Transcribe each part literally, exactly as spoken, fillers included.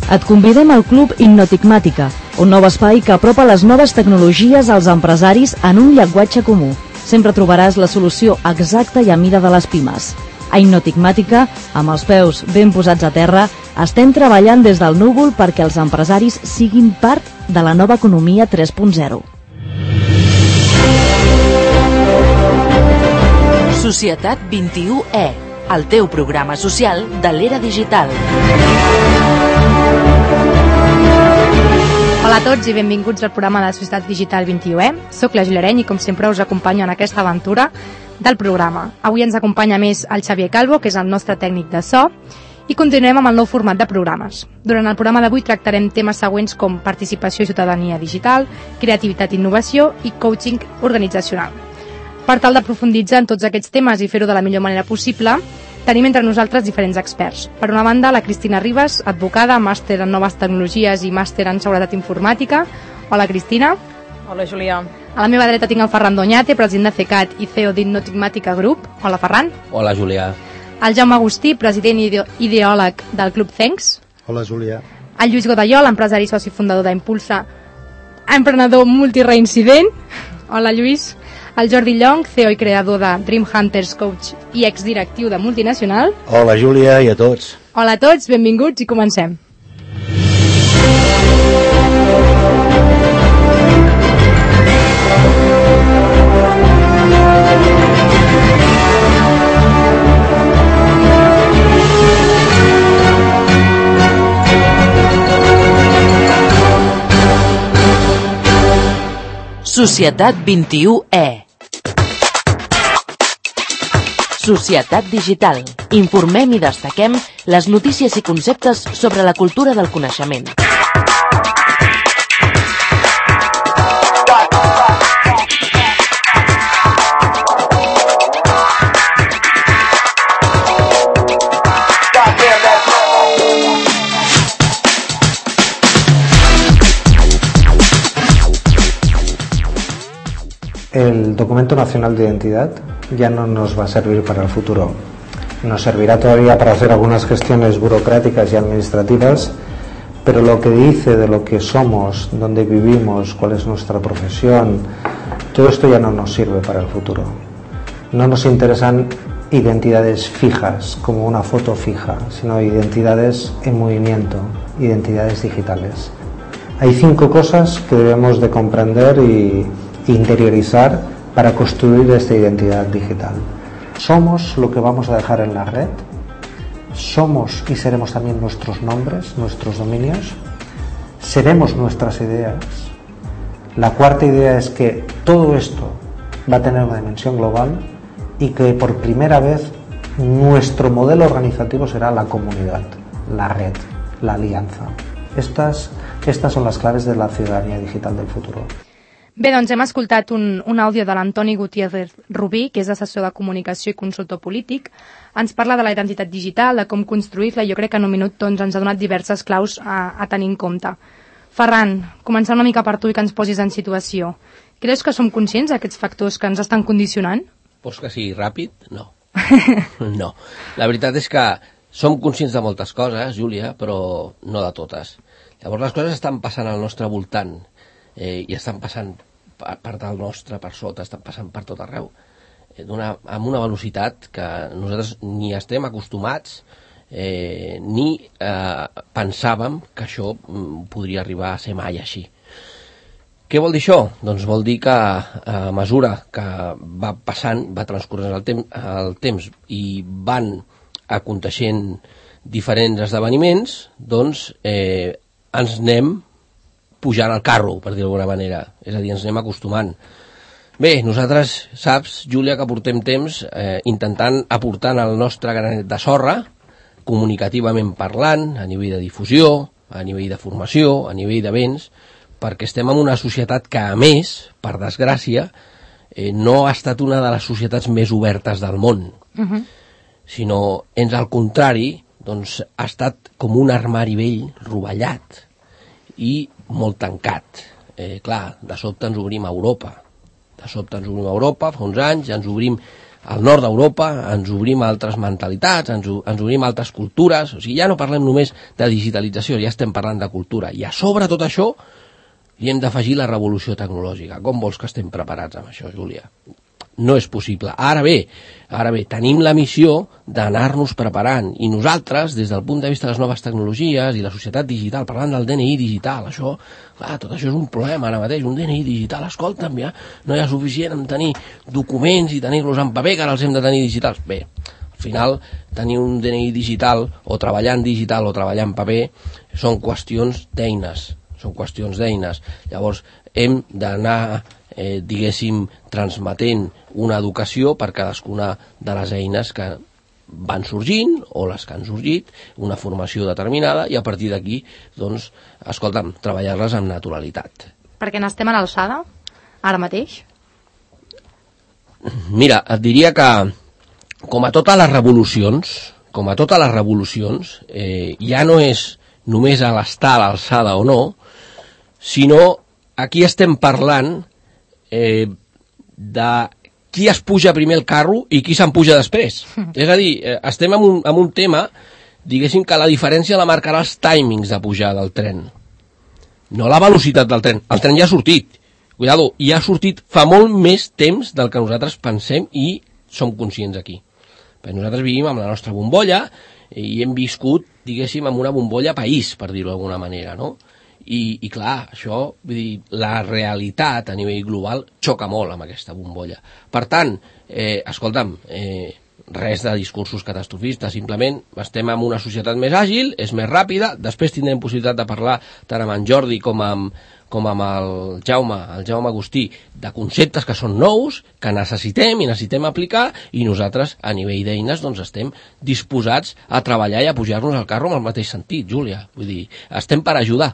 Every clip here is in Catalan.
Et convidem al Club Innotigmàtica, un nou espai que apropa les noves tecnologies als empresaris en un llenguatge comú. Sempre trobaràs la solució exacta i a mida de les pimes. A Innotigmàtica, amb els peus ben posats a terra, estem treballant des del núvol perquè els empresaris siguin part de la nova economia tres punt zero. Societat vint-i-u E, el teu programa social de l'era digital. Hola a tots i benvinguts al programa de Societat Digital vint-i-u E. Soc la Julia Areny i com sempre us acompanyo en aquesta aventura del programa. Avui ens acompanya més el Xavier Calvo, que és el nostre tècnic de so, i continuem amb el nou format de programes. Durant el programa d'avui tractarem temes següents com participació i ciutadania digital, creativitat i innovació i coaching organitzacional. Per tal d'aprofunditzar en tots aquests temes i fer-ho de la millor manera possible, tenim entre nosaltres diferents experts. Per una banda, la Cristina Ribas, advocada, màster en noves tecnologies i màster en seguretat informàtica. Hola, Cristina. Hola, Julià. A la meva dreta tinc el Ferran Doñate, president de CECAT i C E O d'Innotigmàtica Group. Hola, Ferran. Hola, Julià. El Jaume Agustí, president i ideòleg del Club Thanks. Hola, Julià. El Lluís Godallol, empresari i soci fundador d'Impulsa, emprenedor multireincident. Hola, Lluís. El Jordi Llong, C E O i creador de Dream Hunters Coach i exdirectiu de Multinacional. Hola, Júlia, i a tots. Hola a tots, benvinguts i comencem. Societat vint-i-u E. Societat digital. Informem i destaquem les notícies i conceptes sobre la cultura del coneixement. El documento nacional de identidad ya no nos va a servir para el futuro. Nos servirá todavía para hacer algunas gestiones burocráticas y administrativas, pero lo que dice de lo que somos, dónde vivimos, cuál es nuestra profesión, todo esto ya no nos sirve para el futuro. No nos interesan identidades fijas, como una foto fija, sino identidades en movimiento, identidades digitales. Hay cinco cosas que debemos de comprender y interiorizar para construir esta identidad digital. Somos lo que vamos a dejar en la red, somos y seremos también nuestros nombres, nuestros dominios, seremos nuestras ideas. La cuarta idea es que todo esto va a tener una dimensión global y que por primera vez nuestro modelo organizativo será la comunidad, la red, la alianza. Estas, estas son las claves de la ciudadanía digital del futuro. Bé, doncs hem escoltat un, un àudio de l'Antoni Gutiérrez Rubí, que és assessor de comunicació i consultor polític. Ens parla de la identitat digital, de com construir-la, i jo crec que en un minut doncs, ens ha donat diverses claus a, a tenir en compte. Ferran, començant una mica per tu i que ens posis en situació. Creus que som conscients d'aquests factors que ens estan condicionant? Vols que sigui ràpid? No. No. La veritat és que som conscients de moltes coses, Júlia, però no de totes. Llavors les coses estan passant al nostre voltant eh, i estan passant per part del nostre, per sota, estan passant per tot arreu, eh, una, amb una velocitat que nosaltres ni estem acostumats eh, ni eh, pensàvem que això mm, podria arribar a ser mai així. Què vol dir això? Doncs vol dir que a mesura que va passant, va transcorrent el, tem el temps i van aconteixent diferents esdeveniments, doncs eh, ens anem pujant al carro, per dir d'alguna manera. És a dir, ens anem acostumant. Bé, nosaltres, saps, Júlia, que portem temps eh, intentant aportar el nostre granet de sorra, comunicativament parlant, a nivell de difusió, a nivell de formació, a nivell de béns, perquè estem en una societat que, a més, per desgràcia, eh, no ha estat una de les societats més obertes del món, uh-huh. sinó, ens al contrari, doncs, ha estat com un armari vell rovellat i molt tancat. Eh, clar, de sobte ens obrim a Europa. De sobte ens obrim a Europa, fa uns anys, ens obrim al nord d'Europa, ens obrim a altres mentalitats, ens, ens obrim a altres cultures, o sigui, ja no parlem només de digitalització, ja estem parlant de cultura, i a sobre tot això hi hem d'afegir la revolució tecnològica. Com vols que estem preparats amb això, Júlia? No és possible. Ara bé, ara bé, tenim la missió d'anar-nos preparant, i nosaltres, des del punt de vista de les noves tecnologies i la societat digital, parlant del D N I digital, això, clar, tot això és un problema ara mateix, un D N I digital, escolta'm, ja no hi ha suficient en tenir documents i tenir-los en paper, que ara els hem de tenir digitals. Bé, al final, tenir un D N I digital, o treballar en digital o treballar en paper, són qüestions d'eines, són qüestions d'eines. Llavors, hem d'anar, eh, diguéssim, transmetent una educació per cadascuna de les eines que van sorgint, o les que han sorgit, una formació determinada, i a partir d'aquí, doncs, escolta'm, treballar-les amb naturalitat. Perquè n'estem a l'alçada, ara mateix? Mira, et diria que, com a totes les revolucions, com a totes les revolucions, eh, ja no és només a l'estar a l'alçada o no, sinó aquí estem parlant eh, de qui es puja primer el carro i qui se'n puja després. És a dir, eh, estem en un, en un tema, diguéssim que la diferència la marcarà els timings de pujar del tren, no la velocitat del tren. El tren ja ha sortit, cuidado, i ha sortit fa molt més temps del que nosaltres pensem i som conscients aquí. Perquè nosaltres vivim amb la nostra bombolla i hem viscut, diguéssim, amb una bombolla país, per dir-ho d'alguna manera, no? I, i clar, això, vull dir, la realitat a nivell global xoca molt amb aquesta bombolla. Per tant, eh, escolta'm, eh, res de discursos catastrofistes, simplement estem en una societat més àgil, és més ràpida, després tindrem possibilitat de parlar tant amb en Jordi com amb, com amb el Jaume, el Jaume Agustí, de conceptes que són nous, que necessitem i necessitem aplicar, i nosaltres, a nivell d'eines, doncs estem disposats a treballar i a pujar-nos al carro amb el mateix sentit, Júlia. Vull dir, estem per ajudar.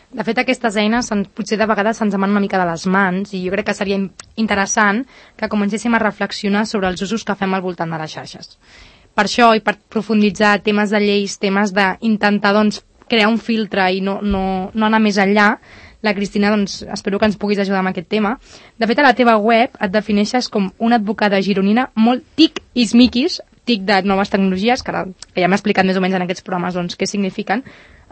De fet, aquestes eines potser de vegades se'ns emanen una mica de les mans, i jo crec que seria interessant que comencéssim a reflexionar sobre els usos que fem al voltant de les xarxes. Per això, i per profunditzar temes de lleis, temes d'intentar doncs, crear un filtre i no, no, no anar més enllà, la Cristina, doncs, espero que ens puguis ajudar amb aquest tema. De fet, a la teva web et defineixes com una advocada gironina molt tic i smiquis, tic de noves tecnologies, que, ara, que ja m'he explicat més o menys en aquests programes doncs, què signifiquen.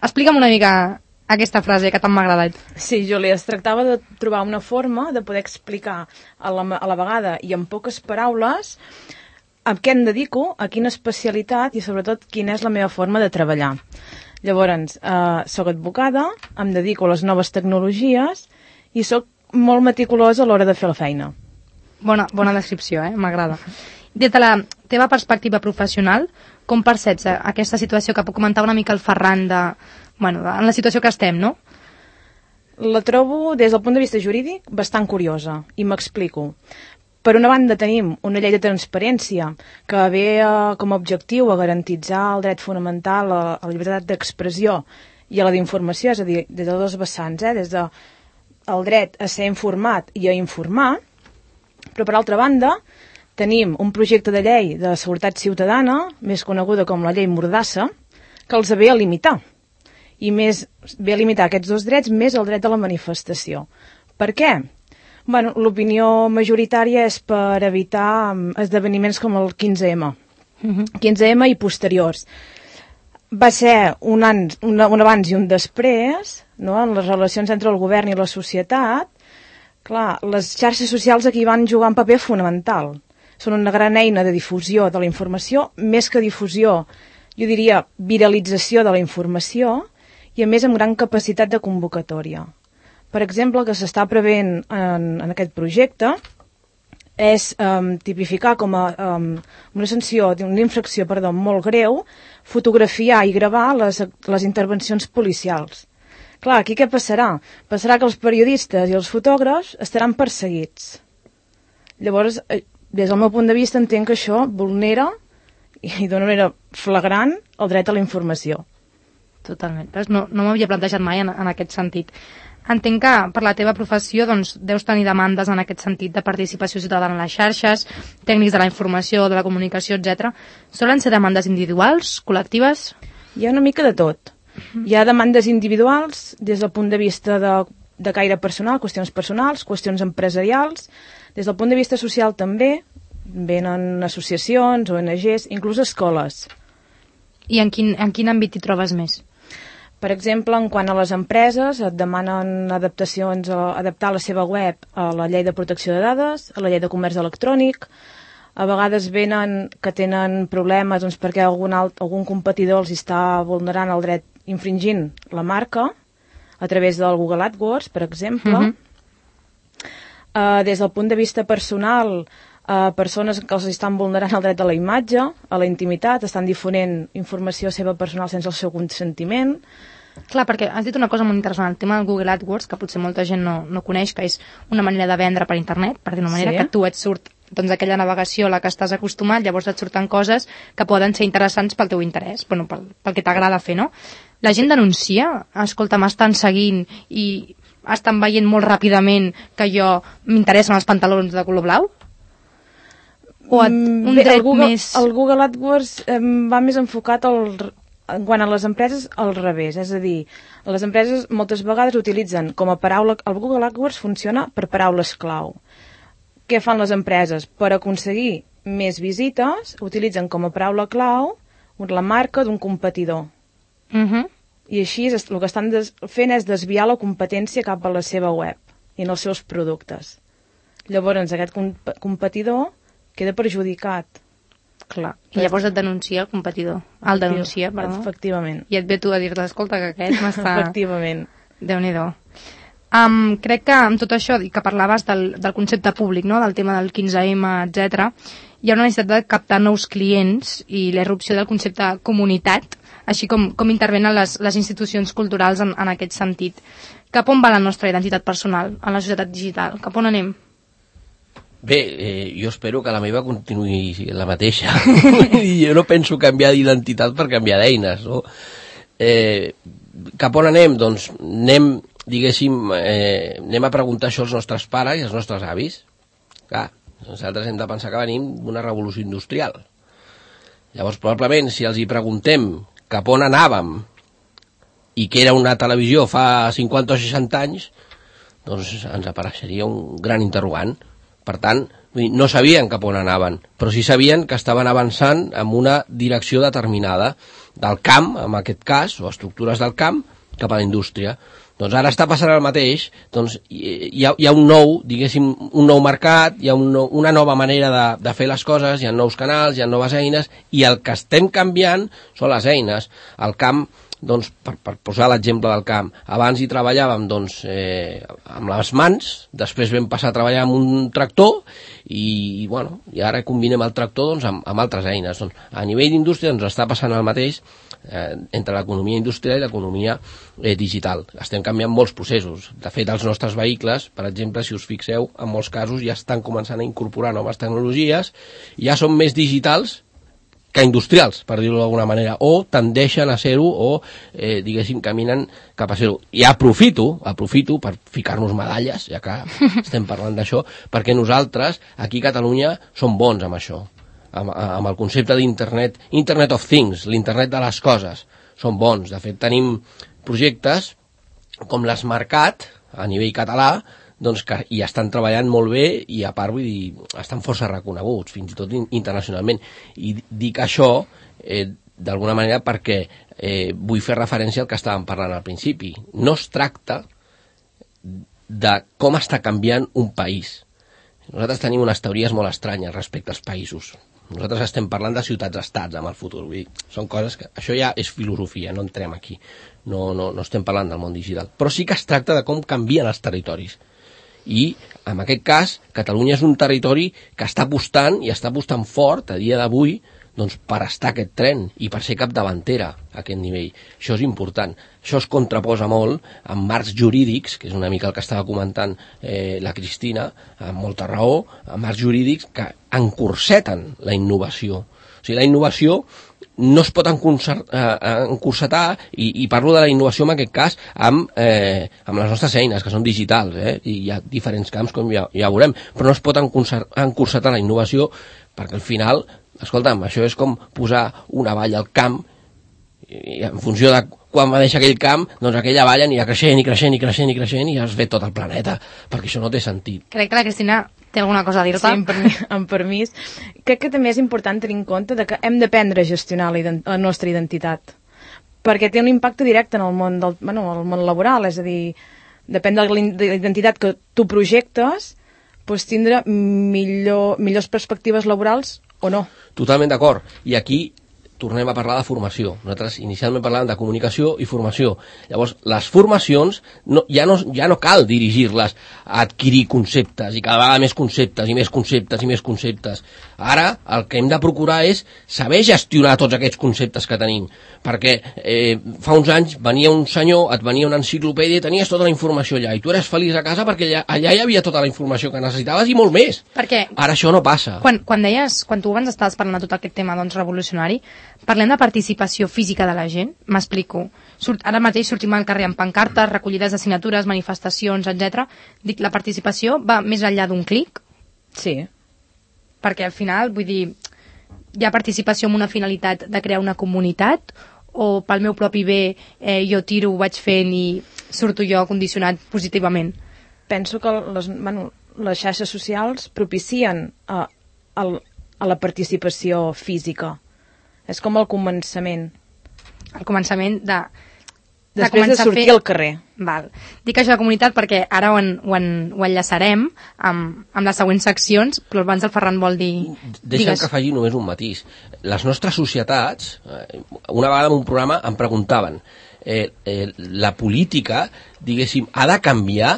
Explica'm una mica aquesta frase que tant m'ha agradat. Sí, Júlia, es tractava de trobar una forma de poder explicar a la, a la vegada i en poques paraules a què em dedico, a quina especialitat i sobretot quina és la meva forma de treballar. Llavors, eh, soc advocada, em dedico a les noves tecnologies i soc molt meticulosa a l'hora de fer la feina. Bona, bona descripció, eh? M'agrada. Des de la teva perspectiva professional, com perceps aquesta situació que comentava una mica el Ferran de, bueno, en la situació que estem, no? La trobo, des del punt de vista jurídic, bastant curiosa, i m'explico. Per una banda tenim una llei de transparència que ve eh, com a objectiu a garantitzar el dret fonamental a, a la llibertat d'expressió i a la d'informació, és a dir, des de dos vessants, eh, des del de dret a ser informat i a informar, però per altra banda tenim un projecte de llei de seguretat ciutadana, més coneguda com la llei Mordassa, que els ve a limitar. I més ve a limitar aquests dos drets més el dret de la manifestació. Per què? Bueno, l'opinió majoritària és per evitar esdeveniments com el quinze ema. Uh-huh. quinze ema i posteriors. Va ser un, an, un, un abans i un després, no?, en les relacions entre el govern i la societat. Clar, les xarxes socials aquí van jugar un paper fonamental. Són una gran eina de difusió de la informació, més que difusió, jo diria viralització de la informació, i a més amb gran capacitat de convocatòria. Per exemple, el que s'està prevent en, en aquest projecte és um, tipificar com a um, una sanció, una infracció, perdó, molt greu, fotografiar i gravar les, les intervencions policials. Clar, aquí què passarà? Passarà que els periodistes i els fotògrafs estaran perseguits. Llavors, des del meu punt de vista, entenc que això vulnera, i d'una manera flagrant, el dret a la informació. Totalment. No, no m'havia plantejat mai en, en aquest sentit. Entenc que per la teva professió doncs, deus tenir demandes en aquest sentit de participació ciutadana en les xarxes, tècnics de la informació, de la comunicació, etcètera. Solen ser demandes individuals, col·lectives? Hi ha una mica de tot. Hi ha demandes individuals des del punt de vista de, de caire personal, qüestions personals, qüestions empresarials. Des del punt de vista social també, venen associacions, O N Ges, inclús escoles. I en quin, en quin àmbit hi trobes més? Per exemple, en quant a les empreses, et demanen adaptacions, o adaptar la seva web a la llei de protecció de dades, a la llei de comerç electrònic. A vegades venen que tenen problemes doncs, perquè algun, alt, algun competidor els està vulnerant el dret infringint la marca a través del Google AdWords, per exemple. Uh-huh. uh, des del punt de vista personal, uh, persones que els estan vulnerant el dret a la imatge, a la intimitat, estan difonent informació seva personal sense el seu consentiment. Clar, perquè has dit una cosa molt interessant, el tema del Google AdWords, que potser molta gent no, no coneix, que és una manera de vendre per internet, per dir una manera, sí. Que tu et surt doncs, aquella navegació a la que estàs acostumat, llavors et surten coses que poden ser interessants pel teu interès, bueno, pel, pel que t'agrada fer, no? La gent denuncia, escolta, m'estan seguint i estan veient molt ràpidament que jo m'interessen els pantalons de color blau? O et, un Bé, dret el Google, més... El Google AdWords eh, va més enfocat al... quan a les empreses al revés, és a dir, les empreses moltes vegades utilitzen com a paraula, el Google AdWords funciona per paraules clau. Què fan les empreses? Per aconseguir més visites, utilitzen com a paraula clau la marca d'un competidor. Uh-huh. I així el que estan fent és desviar la competència cap a la seva web i en els seus productes. Llavors aquest comp competidor queda perjudicat. Clar. I llavors et denuncia el competidor. El denuncia, perdó. Efectivament. I et ve tu a dir-te, escolta, que aquest m'està... Efectivament. Déu-n'hi-do. Um, crec que amb tot això, que parlaves del, del concepte públic, no? Del tema del quinze ema, etcètera, hi ha una necessitat de captar nous clients i la irrupció del concepte comunitat, així com, com intervenen les, les institucions culturals en, en aquest sentit. Cap on va la nostra identitat personal en la societat digital? Cap on anem? Bé, eh, jo espero que la meva continuï la mateixa. Jo no penso canviar d'identitat per canviar d'eines, no? Eh, cap on anem? Doncs anem, diguéssim, eh, anem a preguntar això als nostres pares i als nostres avis. Clar, nosaltres hem de pensar que venim d'una revolució industrial. Llavors, probablement, si els hi preguntem cap on anàvem i que era una televisió fa cinquanta o seixanta anys, doncs ens apareixeria un gran interrogant. Per tant, no sabien cap on anaven, però sí sabien que estaven avançant en una direcció determinada del camp, en aquest cas, o estructures del camp, cap a la indústria. Doncs ara està passant el mateix, doncs hi ha, hi ha un nou, diguéssim, un nou mercat, hi ha un nou, una nova manera de, de fer les coses, hi ha nous canals, hi ha noves eines, i el que estem canviant són les eines. El camp, doncs, per, per posar l'exemple del camp, abans hi treballàvem doncs, eh, amb les mans, després vam passar a treballar amb un tractor i, i, bueno, i ara combinem el tractor doncs, amb, amb altres eines. Doncs, a nivell d'indústria ens doncs, està passant el mateix eh, entre l'economia industrial i l'economia eh, digital. Estem canviant molts processos. De fet, els nostres vehicles, per exemple, si us fixeu, en molts casos ja estan començant a incorporar noves tecnologies, ja són més digitals que industrials, per dir-ho d'alguna manera, o tendeixen a ser-ho, o, eh, diguéssim, caminen cap a ser-ho. I aprofito, aprofito per ficar-nos medalles, ja que estem parlant d'això, perquè nosaltres, aquí a Catalunya, som bons amb això, amb, amb el concepte d'internet, Internet of Things, l'internet de les coses, som bons. De fet, tenim projectes com l'Smartcat, a nivell català, doncs que hi estan treballant molt bé i a part vull dir, estan força reconeguts fins i tot internacionalment, i dic això eh, d'alguna manera perquè eh, vull fer referència al que estàvem parlant al principi. No es tracta de com està canviant un país. Nosaltres tenim unes teories molt estranyes respecte als països. Nosaltres estem parlant de ciutats-estats en el futur. Vull dir, són coses que... Això ja és filosofia, no entrem aquí. No, no, no estem parlant del món digital. Però sí que es tracta de com canvien els territoris. I, en aquest cas, Catalunya és un territori que està apostant, i està apostant fort a dia d'avui, doncs, per estar a aquest tren i per ser capdavantera a aquest nivell. Això és important. Això es contraposa molt amb marcs jurídics, que és una mica el que estava comentant eh, la Cristina, amb molta raó, amb marcs jurídics que encurseten la innovació. O sigui, la innovació no es pot encursetar, i, i parlo de la innovació en aquest cas amb, eh, amb les nostres eines, que són digitals, eh? I hi ha diferents camps, com ja, ja veurem, però no es pot encursetar la innovació perquè al final, escolta'm, això és com posar una valla al camp i en funció de quan va deixar aquell camp, doncs aquella valla anirà creixent i creixent i creixent i creixent i ja es ve tot el planeta, perquè això no té sentit. Crec que la Cristina té alguna cosa a dir-te. Sí, amb permís, amb permís. Crec que també és important tenir en compte de que hem d'aprendre a gestionar la, ident la nostra identitat, perquè té un impacte directe en el món, del, bueno, el món laboral, és a dir, depèn de la identitat que tu projectes, doncs tindre millor, millors perspectives laborals o no. Totalment d'acord. I aquí tornem a parlar de formació. Nosaltres inicialment parlàvem de comunicació i formació. Llavors, les formacions no, ja, no, ja no cal dirigir-les a adquirir conceptes i cada vegada més conceptes i més conceptes i més conceptes. Ara el que hem de procurar és saber gestionar tots aquests conceptes que tenim, perquè eh, fa uns anys venia un senyor, et venia una enciclopèdia i tenies tota la informació allà i tu eres feliç a casa perquè allà, allà hi havia tota la informació que necessitaves i molt més. Perquè ara això no passa. Quan, quan deies, quan tu abans estaves parlant de tot aquest tema doncs, revolucionari, parlem de participació física de la gent, m'explico. Surt, ara mateix sortim al carrer amb pancartes, recollides de signatures, manifestacions, etcètera. Dic, la participació va més enllà d'un clic? Sí. Perquè al final, vull dir, hi ha participació amb una finalitat de crear una comunitat o pel meu propi bé eh, jo tiro, ho vaig fent i surto jo condicionat positivament? Penso que les, bueno, les xarxes socials propicien a, a, a la participació física. És com el començament. El començament de... de Després de sortir fer... al carrer. Val. Dic això de comunitat perquè ara ho, en, ho, en, ho enllaçarem amb, amb les següents seccions, però abans el Ferran vol dir... Deixa'm que faci només un matís. Les nostres societats, una vegada en un programa em preguntaven, eh, eh, la política, diguéssim, ha de canviar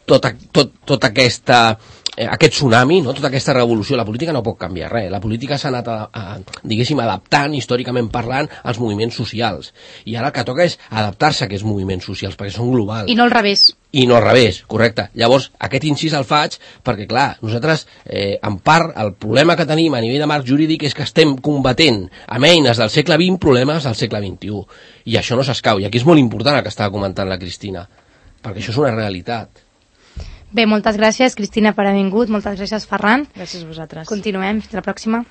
tota, tot, tota aquesta... Eh, aquest tsunami, no? Tota aquesta revolució, la política no pot canviar res. La política s'ha anat, a, a, diguéssim, adaptant, històricament parlant, als moviments socials. I ara el que toca és adaptar-se a aquests moviments socials, perquè són globals. I no al revés. I no al revés, correcte. Llavors, aquest incís el faig perquè, clar, nosaltres, eh, en part, el problema que tenim a nivell de marc jurídic és que estem combatent amb eines del segle vint problemes del segle vint-i-u. I això no s'escau. I aquí és molt important el que estava comentant la Cristina, perquè això és una realitat. Bé, moltes gràcies, Cristina, per haver vingut. Moltes gràcies, Ferran. Gràcies a vosaltres. Continuem. Fins la pròxima.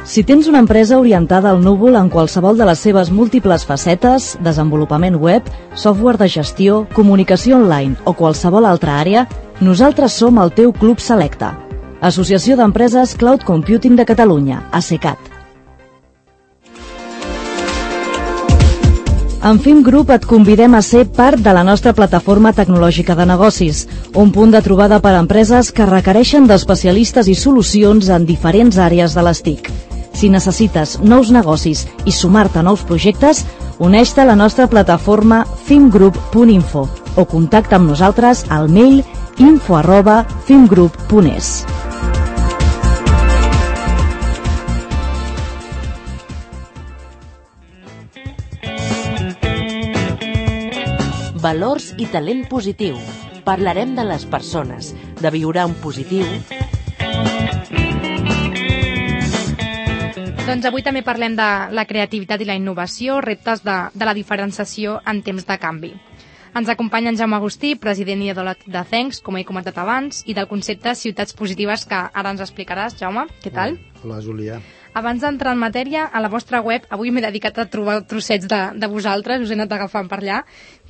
Si tens una empresa orientada al núvol en qualsevol de les seves múltiples facetes, desenvolupament web, software de gestió, comunicació online o qualsevol altra àrea, nosaltres som el teu Club Selecta. Associació d'Empreses Cloud Computing de Catalunya, ASECAT. En Fim Group et convidem a ser part de la nostra plataforma tecnològica de negocis, un punt de trobada per a empreses que requereixen d'especialistes i solucions en diferents àrees de les T I C. Si necessites nous negocis i sumar-te a nous projectes, uneix-te a la nostra plataforma fimgroup punt info o contacta amb nosaltres al mail info arroba fimgroup punt es. Valors i talent positiu. Parlarem de les persones, de viure en positiu. Doncs avui també parlem de la creativitat i la innovació, reptes de, de la diferenciació en temps de canvi. Ens acompanya en Jaume Agustí, president i idòleg de Thanks, com he comentat abans, i del concepte Ciutats Positives, que ara ens explicaràs, Jaume. Què tal? Hola, Júlia. Abans d'entrar en matèria, a la vostra web, avui m'he dedicat a trobar trossets de, de vosaltres, us he anat agafant per allà,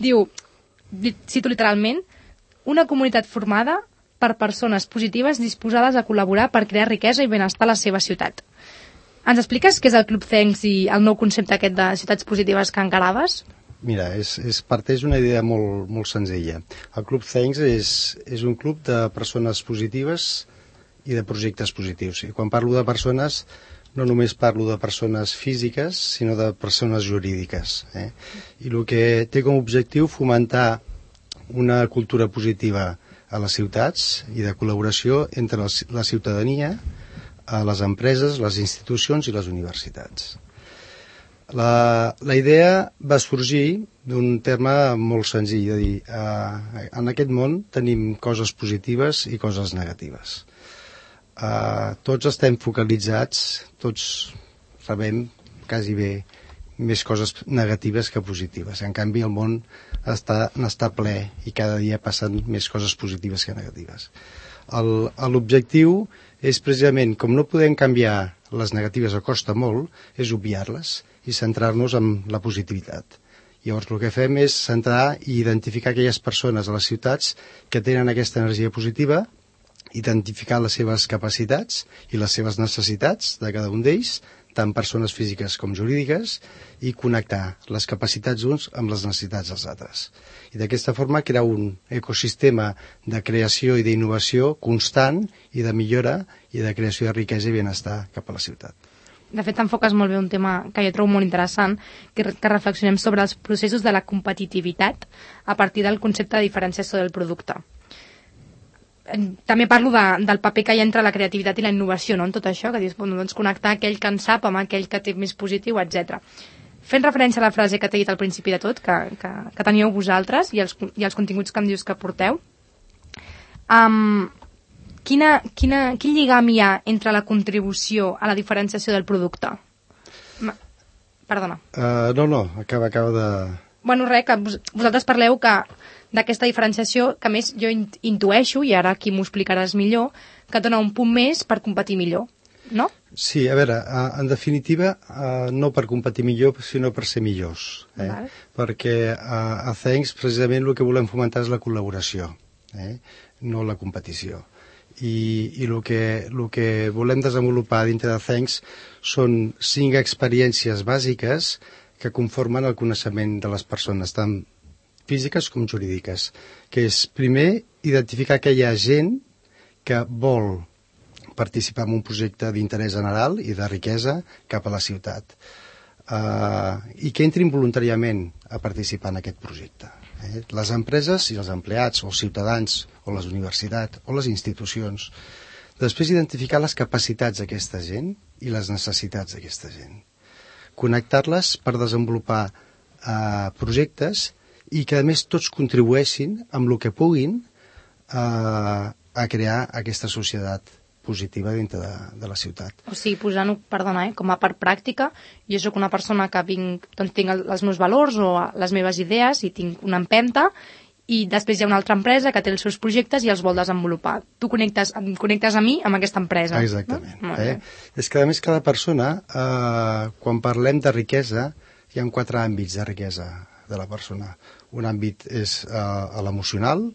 diu, cito literalment, una comunitat formada per persones positives disposades a col·laborar per crear riquesa i benestar a la seva ciutat. Ens expliques què és el Club Thanks i el nou concepte aquest de ciutats positives que encaraves? Mira, és, és parteix una idea molt, molt senzilla. El Club Thanks és, és un club de persones positives i de projectes positius. I quan parlo de persones, no només parlo de persones físiques, sinó de persones jurídiques. Eh? I el que té com a objectiu fomentar una cultura positiva a les ciutats i de col·laboració entre la ciutadania, les empreses, les institucions i les universitats. La, la idea va sorgir d'un terme molt senzill, de dir, eh, en aquest món tenim coses positives i coses negatives. Uh, tots estem focalitzats, tots rebem quasi bé més coses negatives que positives. En canvi, el món està, n'està ple i cada dia passen més coses positives que negatives. L'objectiu és precisament, com no podem canviar les negatives o costa molt, és obviar-les i centrar-nos en la positivitat. Llavors el que fem és centrar i identificar aquelles persones a les ciutats que tenen aquesta energia positiva, identificar les seves capacitats i les seves necessitats de cada un d'ells, tant persones físiques com jurídiques, i connectar les capacitats d'uns amb les necessitats dels altres. I d'aquesta forma crear un ecosistema de creació i d'innovació constant i de millora i de creació de riquesa i benestar cap a la ciutat. De fet, t'enfoques molt bé un tema que jo trobo molt interessant, que, que reflexionem sobre els processos de la competitivitat a partir del concepte de diferenciació del producte. També parlo de, del paper que hi ha entre la creativitat i la innovació, no?, en tot això, que dius, doncs, connectar aquell que en sap amb aquell que té més positiu, etcètera. Fent referència a la frase que t'he dit al principi de tot, que, que, que teníeu vosaltres, i els, i els continguts que em dius que porteu, um, quina, quina, quin lligam hi ha entre la contribució a la diferenciació del producte? Ma, perdona. Uh, no, no, acaba, acaba de... Bueno, res, que vos, vosaltres parleu que d'aquesta diferenciació, que més jo intueixo, i ara aquí m'ho explicaràs millor, que dona un punt més per competir millor, no? Sí, a veure, en definitiva, no per competir millor, sinó per ser millors. Eh? Vale. Perquè a Thanks, precisament, el que volem fomentar és la col·laboració, eh? No la competició. I, i el, que, el que volem desenvolupar dintre de Thanks són cinc experiències bàsiques que conformen el coneixement de les persones, tant físiques com jurídiques, que és, primer, identificar aquella gent que vol participar en un projecte d'interès general i de riquesa cap a la ciutat, uh, i que entrin voluntàriament a participar en aquest projecte. Eh? Les empreses i els empleats, o els ciutadans, o les universitats, o les institucions. Després, identificar les capacitats d'aquesta gent i les necessitats d'aquesta gent. Connectar-les per desenvolupar uh, projectes i que, a més, tots contribueixin amb el que puguin uh, a crear aquesta societat positiva dintre de, de la ciutat. O sigui, posant-ho, perdona, eh, com a part pràctica, jo sóc una persona que vinc, doncs, tinc el, els meus valors o les meves idees i tinc una empenta, i després hi ha una altra empresa que té els seus projectes i els vol desenvolupar. Tu connectes, em connectes a mi amb aquesta empresa. Exactament. No? Eh? És que, a més, cada persona, eh, quan parlem de riquesa, hi ha quatre àmbits de riquesa de la persona. Un àmbit és eh, l'emocional,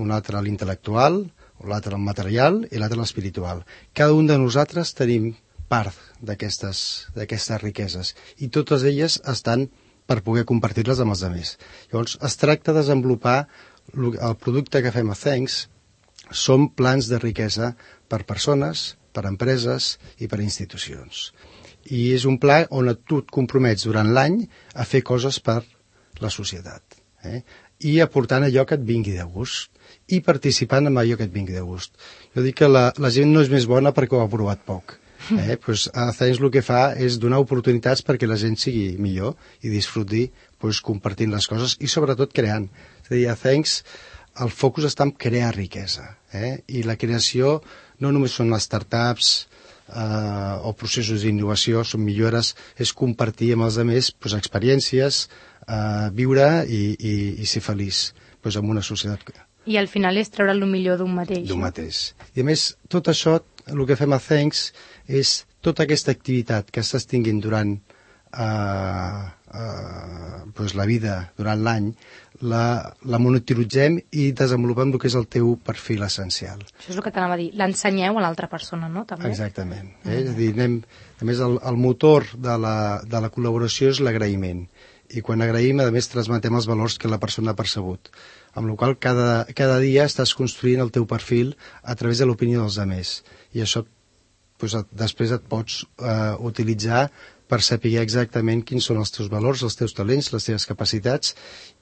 un altre l'intel·lectual, l'altre el material i l'altre l'espiritual. Cada un de nosaltres tenim part d'aquestes d'aquestes riqueses i totes elles estan per poder compartir-les amb els altres. Llavors, es tracta de desenvolupar el producte que fem a Thanks, són plans de riquesa per persones, per empreses i per institucions. I és un pla on tu et compromets durant l'any a fer coses per la societat, eh? I aportant allò que et vingui de gust i participant en allò que et vingui de gust. Jo dic que la, la gent no és més bona perquè ho ha provat poc. Eh? Pues, a Thanks el que fa és donar oportunitats perquè la gent sigui millor i disfruti pues, compartint les coses i sobretot creant. És a dir, a Thanks el focus està en crear riquesa, eh? I la creació no només són les startups eh, o processos d'innovació, són millores, és compartir amb els altres pues, experiències, eh, viure i, i, i ser feliç pues, en una societat. I al final és treure el millor d'un mateix. D'un mateix. I a més, tot això, el que fem a Thanks és tota aquesta activitat que estàs tinguint durant uh, uh, pues la vida, durant l'any, la, la monitoritzem i desenvolupem el que és el teu perfil essencial. Això és el que t'anava a dir. L'ensenyeu a l'altra persona, no? També? Exactament. Eh? Mm. És a dir, anem, a més, el, el motor de la, de la col·laboració és l'agraïment. I quan agraïm, a més, transmetem els valors que la persona ha percebut. Amb la qual cada, cada dia estàs construint el teu perfil a través de l'opinió dels altres. I això pues, després et pots eh, utilitzar per saber exactament quins són els teus valors, els teus talents, les teves capacitats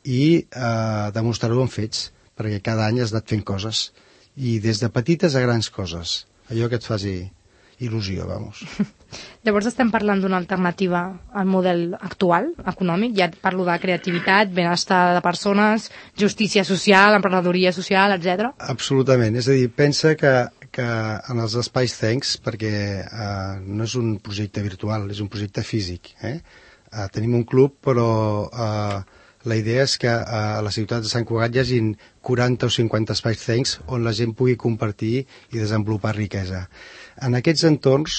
i eh, demostrar-ho amb fets, perquè cada any has anat fent coses. I des de petites a grans coses. Allò que et faci il·lusió, vamos. Llavors estem parlant d'una alternativa al model actual, econòmic. Ja parlo de creativitat, benestar de persones, justícia social, emprenedoria social, etcètera. Absolutament. És a dir, pensa que, que en els espais Thanks, perquè eh, no és un projecte virtual, és un projecte físic. Eh? Eh, tenim un club, però eh, la idea és que a la ciutat de Sant Cugat hi hagin quaranta o cinquanta espais Thanks on la gent pugui compartir i desenvolupar riquesa. En aquests entorns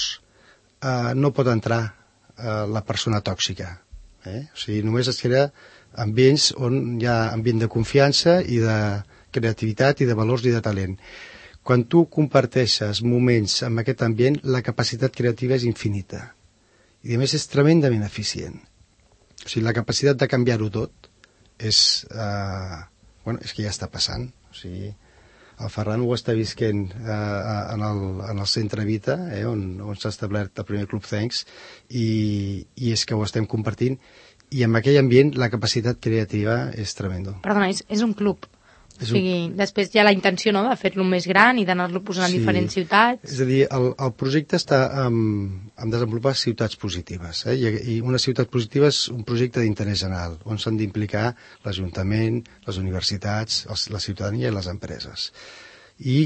eh, no pot entrar eh, la persona tòxica. Eh? O sigui, només es crea ambients on hi ha ambient de confiança i de creativitat i de valors i de talent. Quan tu comparteixes moments amb aquest ambient, la capacitat creativa és infinita. I a més és tremendament eficient. O sigui, la capacitat de canviar-ho tot és, eh, bueno, és que ja està passant. O sigui, el Ferran ho està visquent eh, en, el, en el centre Vita, eh, on, on s'ha establert el primer Club Thanks, i, i és que ho estem compartint, i en aquell ambient la capacitat creativa és tremendo. Perdona, és, és un club. O sigui, un... després hi ha la intenció, no?, de fer-lo més gran i d'anar-lo posant sí. en diferents ciutats. És a dir, el, el projecte està en, en desenvolupar ciutats positives, eh? I, i una ciutat positiva és un projecte d'interès general, on s'han d'implicar l'Ajuntament, les universitats, els, la ciutadania i les empreses. I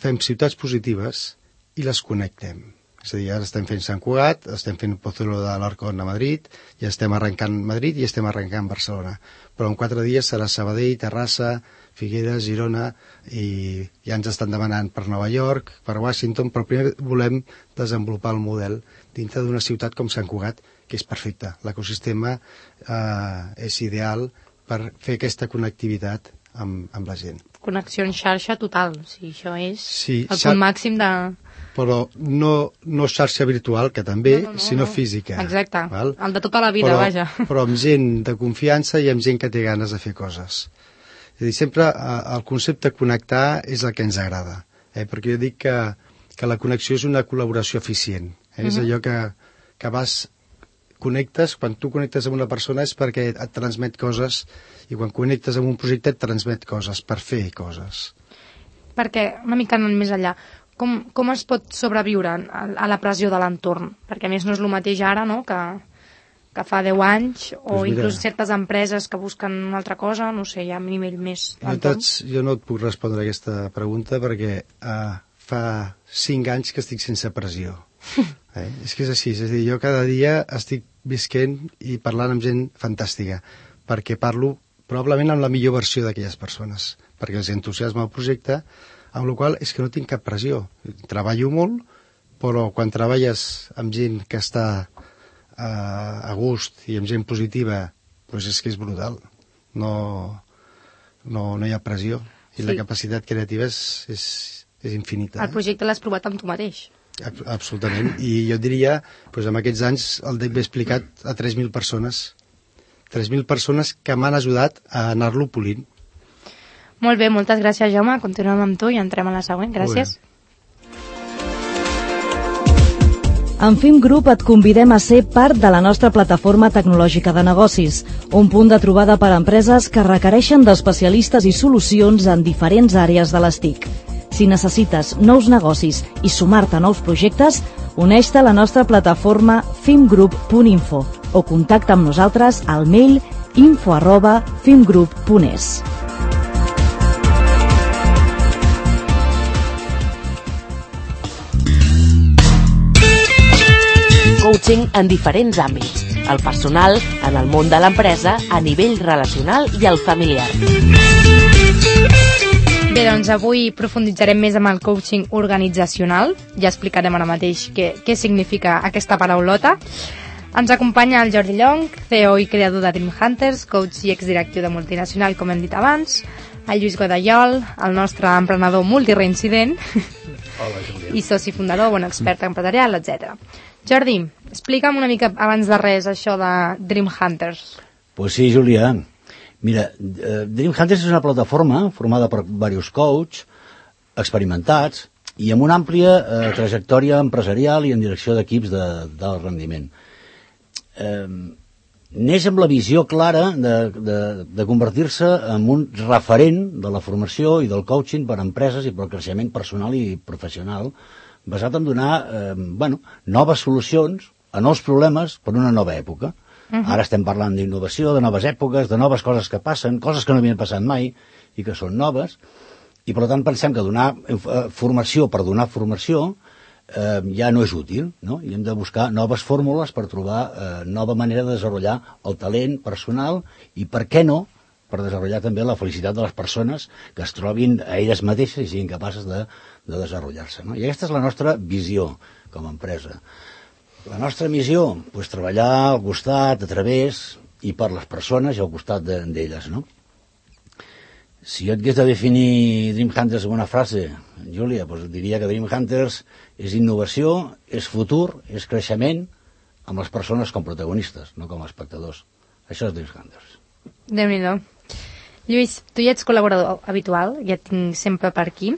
fem ciutats positives i les connectem. És a dir, ara estem fent Sant Cugat, estem fent Pozuelo de l'Arcón a Madrid, ja estem arrencant Madrid i estem arrencant Barcelona. Però en quatre dies serà Sabadell, Terrassa, Figueres, Girona, i ja ens estan demanant per Nova York, per Washington, però primer volem desenvolupar el model dintre d'una ciutat com Sant Cugat, que és perfecte. L'ecosistema eh, és ideal per fer aquesta connectivitat amb, amb la gent. Connexió en xarxa total, o sigui, això és sí, el xar... punt màxim de... Però no, no xarxa virtual, que també, no, no, no, sinó no. física. Exacte, val? El de tota la vida, però, vaja. Però amb gent de confiança i amb gent que té ganes de fer coses. És a dir, sempre eh, el concepte connectar és el que ens agrada, eh? Perquè jo dic que, que la connexió és una col·laboració eficient. Eh? Uh-huh. És allò que, que vas, connectes, quan tu connectes amb una persona és perquè et transmet coses, i quan connectes amb un projecte et transmet coses, per fer coses. Perquè, una mica anant més enllà, com, com es pot sobreviure a, a la pressió de l'entorn? Perquè a més no és el mateix ara, no?, que, que fa deu anys, o pues inclús certes empreses que busquen una altra cosa, no sé, hi ha un nivell més d'entorn. Jo, jo no et puc respondre a aquesta pregunta perquè uh, fa cinc anys que estic sense pressió. eh? És que és així, és a dir, jo cada dia estic visquent i parlant amb gent fantàstica, perquè parlo probablement amb la millor versió d'aquelles persones, perquè els entusiasma el projecte, amb la qual és que no tinc cap pressió. Treballo molt, però quan treballes amb gent que està uh, a gust i amb gent positiva, doncs és que és brutal. No, no, no hi ha pressió. I sí. La capacitat creativa és, és, és infinita. El projecte l'has provat amb tu mateix. Absolutament. I jo diria, doncs, en aquests anys el D E C he explicat a tres mil persones. tres mil persones que m'han ajudat a anar-lo polint. Molt bé, moltes gràcies, Jaume. Continuem amb tu i entrem a la següent. Gràcies. En Fim Group et convidem a ser part de la nostra plataforma tecnològica de negocis, un punt de trobada per a empreses que requereixen d'especialistes i solucions en diferents àrees de les T I C. Si necessites nous negocis i sumar-te a nous projectes, uneix-te a la nostra plataforma fimgroup punt info o contacta amb nosaltres al mail info arroba fimgroup punt es. Coaching en diferents àmbits, el personal, en el món de l'empresa, a nivell relacional i el familiar. Bé, doncs avui profunditzarem més amb el coaching organitzacional. Ja explicarem ara mateix què, què significa aquesta paraulota. Ens acompanya el Jordi Llong, C E O i creador de Dream Hunters, coach i exdirectiu de multinacional, com hem dit abans, el Lluís Godallol, el nostre emprenedor multireincident, Hola, Júlia. I soci fundador, bon expert empresarial, etcètera. Jordi, explica'm una mica abans de res això de Dream Hunters. Pues sí, Júlia. Mira, eh, Dream Hunters és una plataforma formada per diversos coaches experimentats i amb una àmplia eh, trajectòria empresarial i en direcció d'equips de, del rendiment. Eh, neix amb la visió clara de, de, de convertir-se en un referent de la formació i del coaching per a empreses i per al creixement personal i professional, basat en donar eh, bueno, noves solucions a nous problemes per una nova època. Uh-huh. Ara estem parlant d'innovació, de noves èpoques, de noves coses que passen, coses que no havien passat mai i que són noves, i per tant pensem que donar eh, formació per donar formació eh, ja no és útil, no? I hem de buscar noves fórmules per trobar eh, nova manera de desenvolupar el talent personal i, per què no, per desenvolupar també la felicitat de les persones que es trobin a elles mateixes i siguin capaces de, de desenvolupar-se. No? I aquesta és la nostra visió com a empresa. La nostra missió, pues, treballar al costat, a través i per les persones i al costat d'elles, no? Si jo et hagués de definir Dream Hunters amb una frase, Júlia, pues diria que Dream Hunters és innovació, és futur, és creixement, amb les persones com protagonistes, no com a espectadors. Això és Dream Hunters. Déu-n'hi-do. Lluís, tu ja ets col·laborador habitual, ja et tinc sempre per aquí.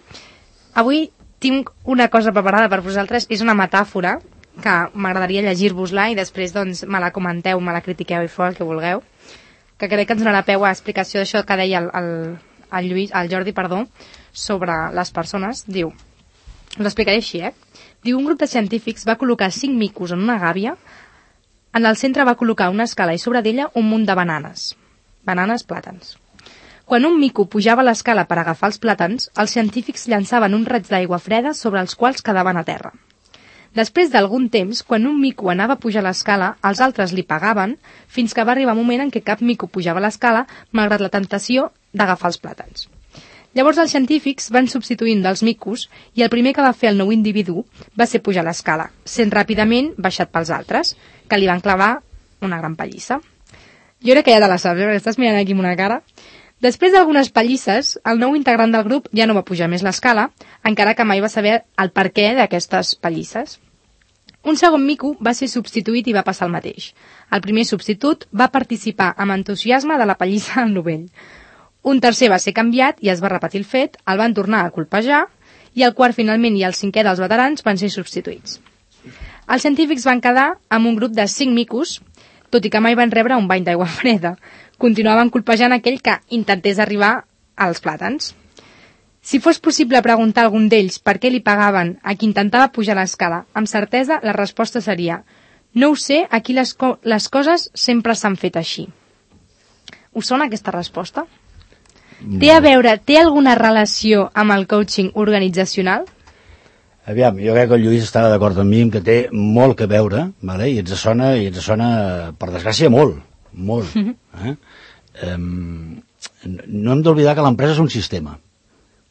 Avui tinc una cosa preparada per vosaltres, és una metàfora que m'agradaria llegir-vos-la i després doncs, me la comenteu, me la critiqueu i feu el que vulgueu, que crec que ens donarà peu a explicació d'això que deia el, el, el, Lluís, el Jordi perdó, sobre les persones. Diu, us explicaré així, eh? Diu, un grup de científics va col·locar cinc micos en una gàbia, en el centre va col·locar una escala i sobre d'ella un munt de bananes. Bananes, plàtans. Quan un mico pujava a l'escala per agafar els plàtans, els científics llançaven un raig d'aigua freda sobre els quals quedaven a terra. Després d'algun temps, quan un mico anava a pujar l'escala, els altres li pagaven, fins que va arribar un moment en què cap mico pujava a l'escala, malgrat la tentació d'agafar els plàtans. Llavors els científics van substituint dels micos i el primer que va fer el nou individu va ser pujar l'escala, sent ràpidament baixat pels altres, que li van clavar una gran pallissa. Jo crec que ja te la saps, eh? Perquè estàs mirant aquí amb una cara. Després d'algunes pallisses, el nou integrant del grup ja no va pujar més l'escala, encara que mai va saber el perquè d'aquestes pallisses. Un segon mico va ser substituït i va passar el mateix. El primer substitut va participar amb entusiasme de la pallissa al novell. Un tercer va ser canviat i es va repetir el fet, el van tornar a colpejar i el quart finalment i el cinquè dels veterans van ser substituïts. Els científics van quedar amb un grup de cinc micos, tot i que mai van rebre un bany d'aigua freda. Continuaven colpejant aquell que intentés arribar als plàtans. Si fos possible preguntar a algun d'ells per què li pagaven a qui intentava pujar l'escala, amb certesa la resposta seria: no ho sé, aquí les, co les coses sempre s'han fet així. Us sona aquesta resposta? No. Té a veure, té alguna relació amb el coaching organitzacional? Aviam, jo crec que el Lluís estava d'acord amb mi que té molt que veure, vale? I ens sona, i ens sona, per desgràcia, molt, molt. Eh? Um, no hem d'oblidar que l'empresa és un sistema,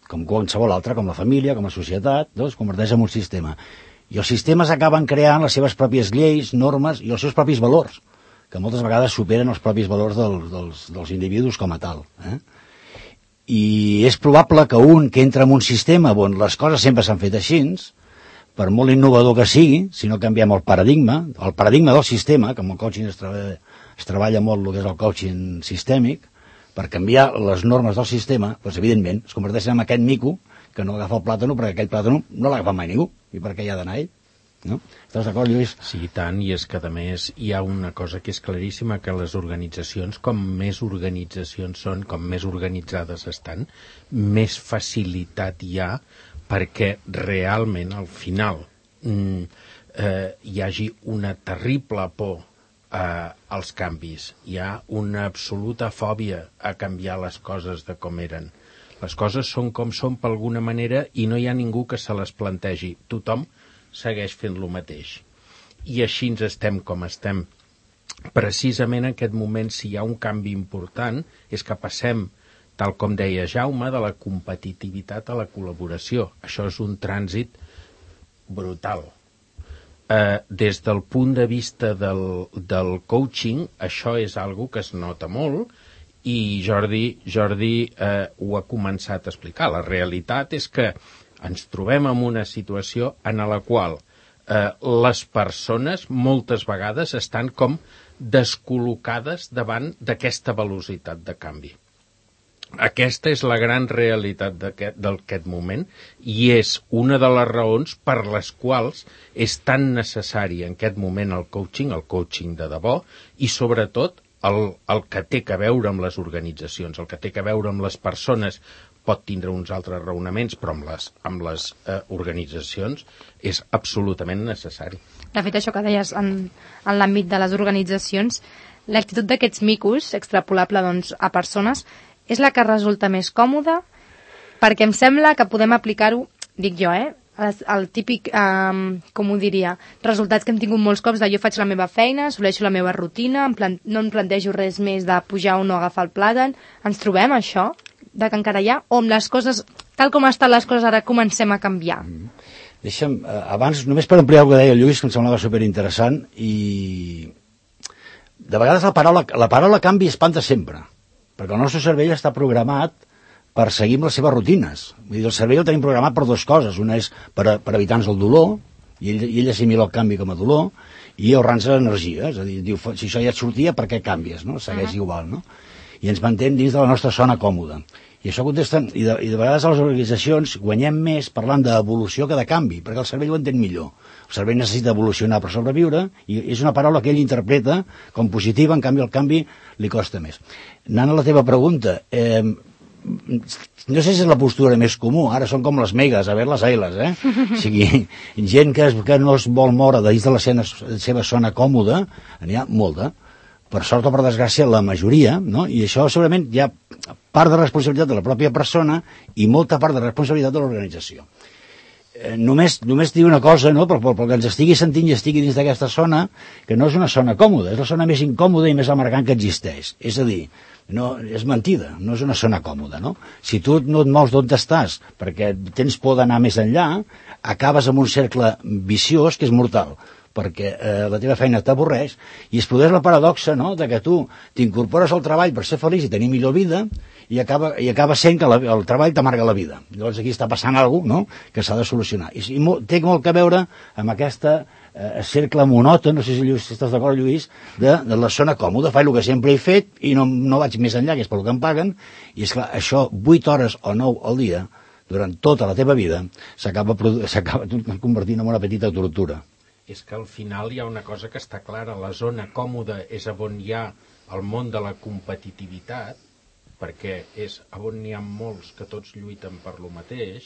com qualsevol altre, com la família, com la societat, no? Es converteix en un sistema. I els sistemes acaben creant les seves pròpies lleis, normes i els seus propis valors, que moltes vegades superen els propis valors del, dels, dels individus com a tal. Eh? I és probable que un que entra en un sistema on les coses sempre s'han fet així, per molt innovador que sigui, si no canviem el paradigma, el paradigma del sistema, que amb el coaching es treballa, es treballa molt el que és el coaching sistèmic, per canviar les normes del sistema, doncs evidentment es converteix en aquest mico que no agafa el plàtano perquè aquell plàtano no l'agafa mai ningú, i per què hi ha d'anar ell? No? Estàs d'acord, Lluís? Sí, i tant, i és que a més hi ha una cosa que és claríssima, que les organitzacions, com més organitzacions són, com més organitzades estan, més facilitat hi ha perquè realment al final mm, eh, hi hagi una terrible por eh, als canvis, hi ha una absoluta fòbia a canviar les coses de com eren. Les coses són com són per alguna manera i no hi ha ningú que se les plantegi. Tothom segueix fent lo mateix. I així ens estem com estem. Precisament en aquest moment, si hi ha un canvi important, és que passem, tal com deia Jaume, de la competitivitat a la col·laboració. Això és un trànsit brutal. Eh, des del punt de vista del, del coaching, això és algo que es nota molt, i Jordi, Jordi eh, ho ha començat a explicar. La realitat és que ens trobem en una situació en la qual eh, les persones moltes vegades estan com descol·locades davant d'aquesta velocitat de canvi. Aquesta és la gran realitat d'aquest moment i és una de les raons per les quals és tan necessari en aquest moment el coaching, el coaching de debò, i sobretot el, el que té que veure amb les organitzacions, el que té que veure amb les persones. Pot tindre uns altres raonaments, però amb les, amb les eh, organitzacions és absolutament necessari. De fet, això que deies en, en l'àmbit de les organitzacions, l'actitud d'aquests micos, extrapolable doncs, a persones, és la que resulta més còmoda, perquè em sembla que podem aplicar-ho, dic jo, eh, el, el típic, eh, com ho diria, resultats que hem tingut molts cops de jo faig la meva feina, assoleixo la meva rutina, em plan, no em plantejo res més de pujar o no agafar el plàtan. Ens trobem això? De que encara hi ha, o amb les coses, tal com estan les coses ara, comencem a canviar? Deixa'm, eh, abans, només per ampliar el que deia el Lluís, que em semblava superinteressant, i de vegades la paraula, la paraula canvi espanta sempre, perquè el nostre cervell està programat per seguir amb les seves rutines. Vull dir, el cervell el tenim programat per dues coses. Una és per, per evitar-nos el dolor, i ell, i ell assimila el canvi com a dolor, i ahorrar-nos energia. És a dir, diu, si això ja et sortia, per què canvies? No? Segueix uh-huh. igual, no? I ens mantén dins de la nostra zona còmoda. I això contesta, i de, i de vegades a les organitzacions guanyem més parlant d'evolució que de canvi, perquè el cervell ho entén millor. El cervell necessita evolucionar per sobreviure, i és una paraula que ell interpreta com positiva, en canvi el canvi li costa més. Anant a la teva pregunta, eh, no sé si és la postura més comú, ara són com les megas, a veure les ailes, eh? O sigui, gent que, es, que no es vol moure dins de la seva, seva zona còmoda, n'hi ha molta, per sort o per desgràcia la majoria, no? I això segurament hi ha part de responsabilitat de la pròpia persona i molta part de responsabilitat de l'organització. Eh, només, només dir una cosa, no? Perquè, perquè ens estigui sentint i estigui dins d'aquesta zona, que no és una zona còmoda, és la zona més incòmoda i més amargant que existeix. És a dir, no, és mentida, no és una zona còmoda, no? Si tu no et mous d'on estàs perquè tens por d'anar més enllà, acabes en un cercle viciós que és mortal, perquè eh, la teva feina t'avorreix, i es produeix la paradoxa, no?, de que tu t'incorpores al treball per ser feliç i tenir millor vida, i acaba, i acaba sent que la, el treball t'amarga la vida. Llavors aquí està passant alguna cosa, no?, que s'ha de solucionar. I, i mo, té molt que veure amb aquesta eh, cercle monòton, no sé si, Lluís, si estàs d'acord, Lluís, de, de la zona còmoda, faig el que sempre he fet i no, no vaig més enllà, que és pel que em paguen, i és clar, això, vuit hores o nou al dia, durant tota la teva vida, s'acaba convertint en una petita tortura. És que al final hi ha una cosa que està clara, la zona còmoda és on hi ha el món de la competitivitat, perquè és on n'hi ha molts que tots lluiten per lo mateix,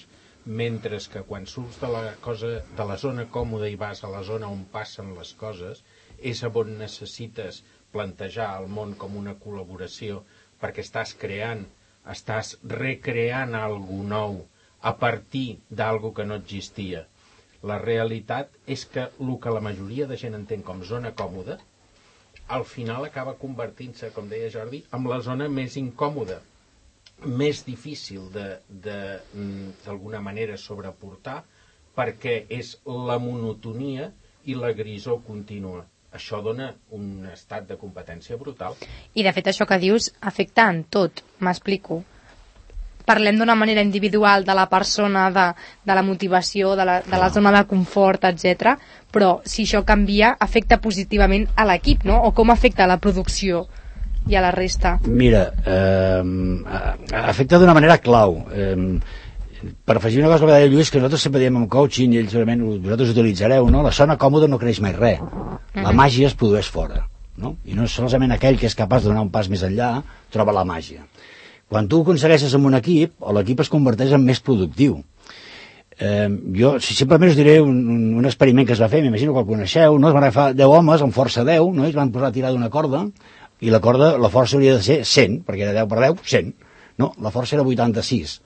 mentre que quan surts de la, cosa, de la zona còmoda i vas a la zona on passen les coses, és on necessites plantejar el món com una col·laboració, perquè estàs creant, estàs recreant alguna nou a partir d'algo que no existia. La realitat és que el que la majoria de gent entén com zona còmoda, al final acaba convertint-se, com deia Jordi, en la zona més incòmoda, més difícil de, de, d'alguna manera sobreportar, perquè és la monotonia i la grisor contínua. Això dona un estat de competència brutal. I de fet això que dius afecta en tot, m'explico. Parlem d'una manera individual de la persona, de, de la motivació, de la, de la zona de confort, etcètera. Però si això canvia, afecta positivament a l'equip, no? O com afecta a la producció i a la resta? Mira, eh, afecta d'una manera clau. Eh, per afegir una cosa que deia Lluís, que nosaltres sempre diem en coaching, i ells segurament vosaltres utilitzareu, no? La zona còmoda no creix mai res. La màgia es produeix fora, no? I no és solament aquell que és capaç de donar un pas més enllà troba la màgia. Quan tu ho aconsegueixes amb un equip, l'equip es converteix en més productiu. Eh, jo si simplement us diré un, un experiment que es va fer, m'imagino que el coneixeu, no? Es van agafar deu homes amb força deu, no? I es van posar a tirar d'una corda, i la corda, la força hauria de ser cent, perquè era deu per deu, cent. No, la força era vuitanta-sis.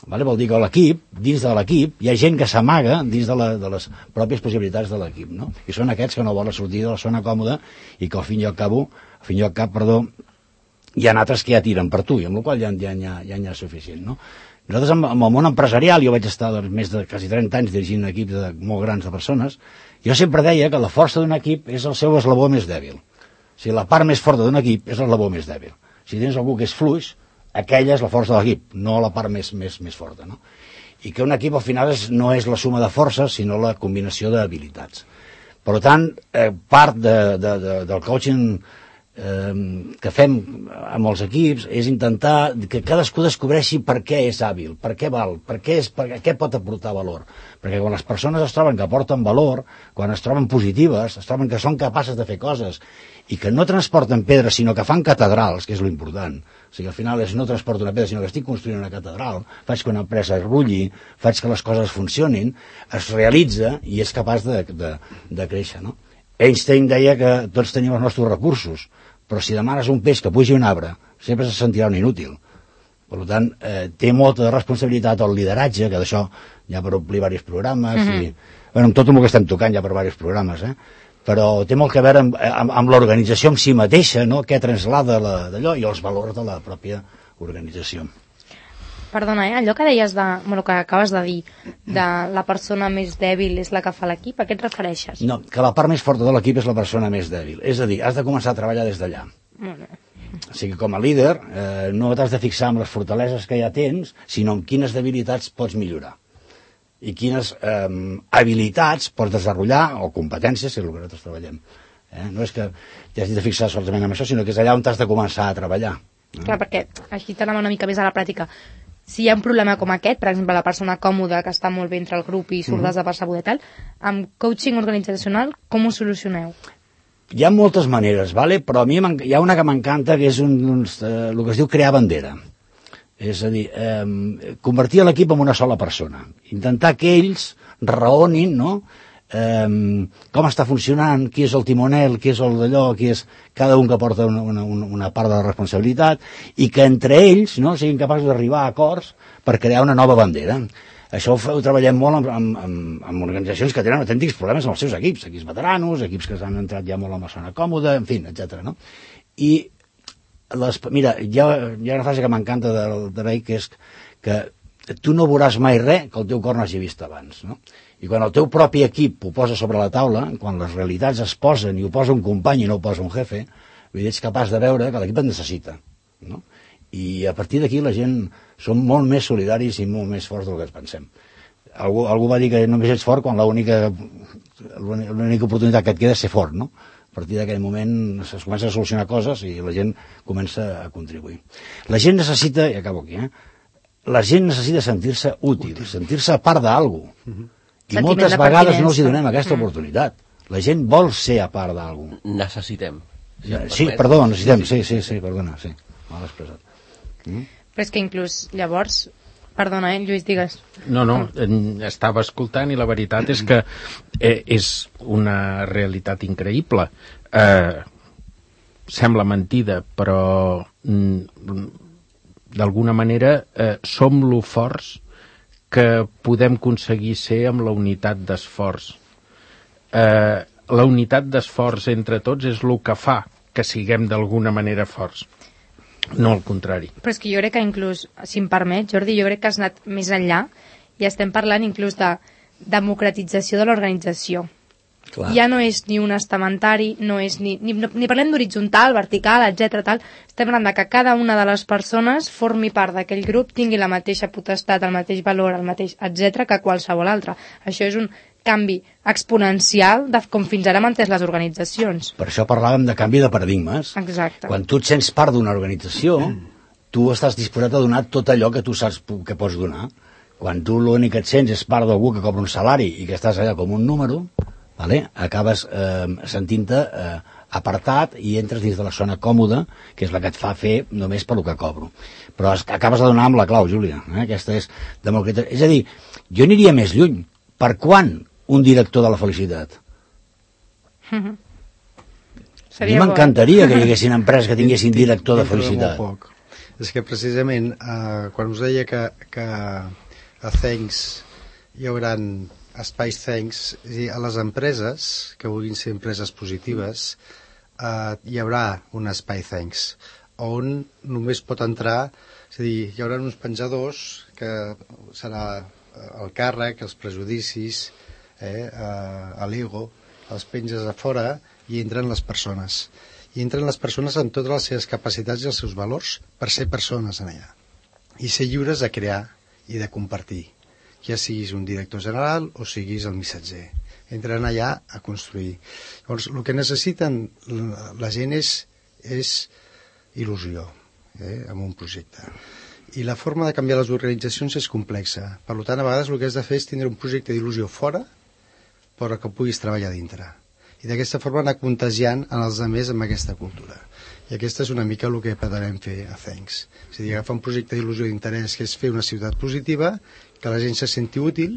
Vale? Vol dir que l'equip, dins de l'equip, hi ha gent que s'amaga dins de, la, de les pròpies possibilitats de l'equip, no? I són aquests que no volen sortir de la zona còmoda i que al fin i al cap, al fin i al cap, perdó, hi ha altres que ja tiren per tu, i amb la qual ja, ja, ja, ja n'hi ha suficient, no? Nosaltres, amb, amb el món empresarial, jo vaig estar doncs, més de quasi trenta anys dirigint equips de molt grans de persones, jo sempre deia que la força d'un equip és el seu eslabó més dèbil. O sigui, la part més forta d'un equip és l'eslabó més dèbil. Si tens algú que és fluix, aquella és la força de l'equip, no la part més, més, més forta, no? I que un equip al final és, no és la suma de forces, sinó la combinació d'habilitats. Per tant, eh, part de, de, de, del coaching eh, que fem amb els equips és intentar que cadascú descobreixi per què és hàbil, per què val, per què, és, per què pot aportar valor. Perquè quan les persones es troben que aporten valor, quan es troben positives, es troben que són capaces de fer coses i que no transporten pedres sinó que fan catedrals, que és l'important. O sigui, al final és no transporto una pedra sinó que estic construint una catedral, faig que una empresa es rulli, faig que les coses funcionin, es realitza i és capaç de, de, de créixer, no? Einstein deia que tots tenim els nostres recursos, però si demanes un peix que pugi un arbre, sempre se sentirà un inútil. Per tant, eh, té molta responsabilitat el lideratge, que d'això ja per omplir diversos programes, mm-hmm. i, bueno, amb tot el que estem tocant ja per diversos programes, eh? Però té molt que veure amb, amb, amb l'organització en si mateixa, no? Què translada d'allò i els valors de la pròpia organització. Perdona, eh? allò que deies de... Bueno, que acabes de dir, de la persona més dèbil és la que fa l'equip, a què et refereixes? No, que la part més forta de l'equip és la persona més dèbil. És a dir, has de començar a treballar des d'allà. Bueno. O sigui, com a líder, eh, no t'has de fixar en les fortaleses que ja tens, sinó en quines debilitats pots millorar. I quines eh, habilitats pots desenvolupar, o competències, si és el que nosaltres treballem. Eh? No és que t'has de fixar solament en això, sinó que és allà on t'has de començar a treballar. Eh? Clar, perquè així t'anem una mica més a la pràctica. Si hi ha un problema com aquest, per exemple, la persona còmoda que està molt bé entre el grup i surt Mhm. desapercebuda i tal, amb coaching organitzacional, com ho solucioneu? Hi ha moltes maneres, vale? Però a mi hi ha una que m'encanta, que és un, un, eh, el que es diu crear bandera. És a dir, eh, convertir l'equip en una sola persona. Intentar que ells raonin, no?, eh, com està funcionant, qui és el timonel, qui és el d'allò, qui és cada un que porta una, una, una part de la responsabilitat, i que entre ells, no?, siguin capaços d'arribar a acords per crear una nova bandera. Això ho, ho treballem molt amb, amb, amb, amb organitzacions que tenen autèntics problemes amb els seus equips, equips veteranos, equips que s'han entrat ja molt en la zona còmoda, en fi, etcètera. No? I, les, mira, hi ha, hi ha una frase que m'encanta de, de Ray, que és que tu no veuràs mai res que el teu cor no hagi vist abans, no? I quan el teu propi equip ho posa sobre la taula, quan les realitats es posen i ho posa un company i no ho posa un jefe, vull dir, ets capaç de veure que l'equip et necessita, no? I a partir d'aquí la gent som molt més solidaris i molt més forts del que ens pensem. Algú, algú va dir que només ets fort quan l'única l'única oportunitat que et queda és ser fort, no? A partir d'aquell moment es comença a solucionar coses i la gent comença a contribuir. La gent necessita, i acabo aquí, eh? La gent necessita sentir-se útil, útil. sentir-se part d'algú. Uh-huh. I Sentiment moltes de vegades no els pertinença. donem aquesta Mm. oportunitat. La gent vol ser a part d'algú. Necessitem. Si em Sí, permet. perdó, necessitem, sí, sí, sí, perdona, sí, mal expressat. Mm? Però és que inclús llavors... Perdona, eh, Lluís, digues. No, no, en- estava escoltant i la veritat és que eh, és una realitat increïble. Eh, sembla mentida, però mm, d'alguna manera eh, som lo forts que podem aconseguir ser amb la unitat d'esforç. Eh, la unitat d'esforç entre tots és el que fa que siguem d'alguna manera forts, no al contrari. Però és que jo crec que inclús, si em permet, Jordi, jo crec que has anat més enllà i estem parlant inclús de democratització de l'organització. Clar. Ja no és ni un estamentari, no és ni, ni, no, ni parlem d'horitzontal, vertical, etcètera tal. Estem parlant de que cada una de les persones formi part d'aquell grup, tingui la mateixa potestat, el mateix valor, el mateix, etcètera que qualsevol altre. Això és un canvi exponencial de com fins ara han entès les organitzacions. Per això parlàvem de canvi de paradigmes. Exacte. Quan tu et sents part d'una organització, tu estàs disposat a donar tot allò que tu saps que pots donar. Quan tu l'únic que et sents és part d'algú que cobra un salari i que estàs allà com un número, vale? Acabes eh, sentint-te eh, apartat i entres dins de la zona còmoda, que és la que et fa fer només per lo que cobro. Però es, acabes de donar amb la clau, Júlia. Eh? Aquesta és democratització. És a dir, jo aniria més lluny. Per quan un director de la felicitat? A mi Seria bo. m'encantaria que hi haguessin empreses que tinguessin director de Dintre felicitat. molt poc. És que precisament eh, quan us deia que, que a Thanks hi haurà espais Thanks, és a dir, a les empreses que vulguin ser empreses positives eh, hi haurà un espai Thanks on només pot entrar, és a dir, hi haurà uns penjadors que serà el càrrec, els prejudicis, eh, eh, l'ego, els penges a fora i entren les persones. I entren les persones amb totes les seves capacitats i els seus valors per ser persones en allà. I ser lliures de crear i de compartir. Ja siguis un director general o siguis el missatger. Entren allà a construir. Llavors, el que necessiten la, la gent és, és il·lusió, eh, amb un projecte. I la forma de canviar les organitzacions és complexa. Per tant, a vegades el que has de fer és tindre un projecte d'il·lusió fora, però que puguis treballar dintre. I d'aquesta forma anar contagiant en els altres amb aquesta cultura. I aquesta és una mica el que pretenem fer a Thanks. És a dir, agafar un projecte d'il·lusió d'interès que és fer una ciutat positiva, que la gent se senti útil,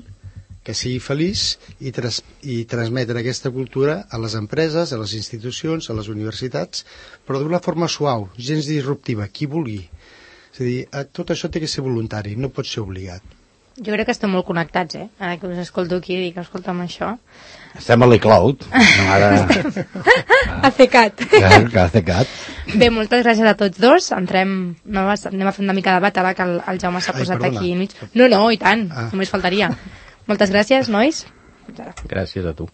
que sigui feliç i, tras i transmetre aquesta cultura a les empreses, a les institucions, a les universitats, però d'una forma suau, gens disruptiva, qui vulgui. És a dir, tot això té que ser voluntari, no pot ser obligat. Jo crec que estem molt connectats, eh? Ara que us escolto aquí i dic, escolta'm això. Estem a l'e-cloud. No, ara... A cecat. Que, que a cecat. Bé, moltes gràcies a tots dos. Entrem, no, anem a fer una mica de debat ara que el, el Jaume s'ha posat perdona. aquí enmig. No, no, i tant, Ah. només faltaria. Moltes gràcies, nois. Gràcies a tu.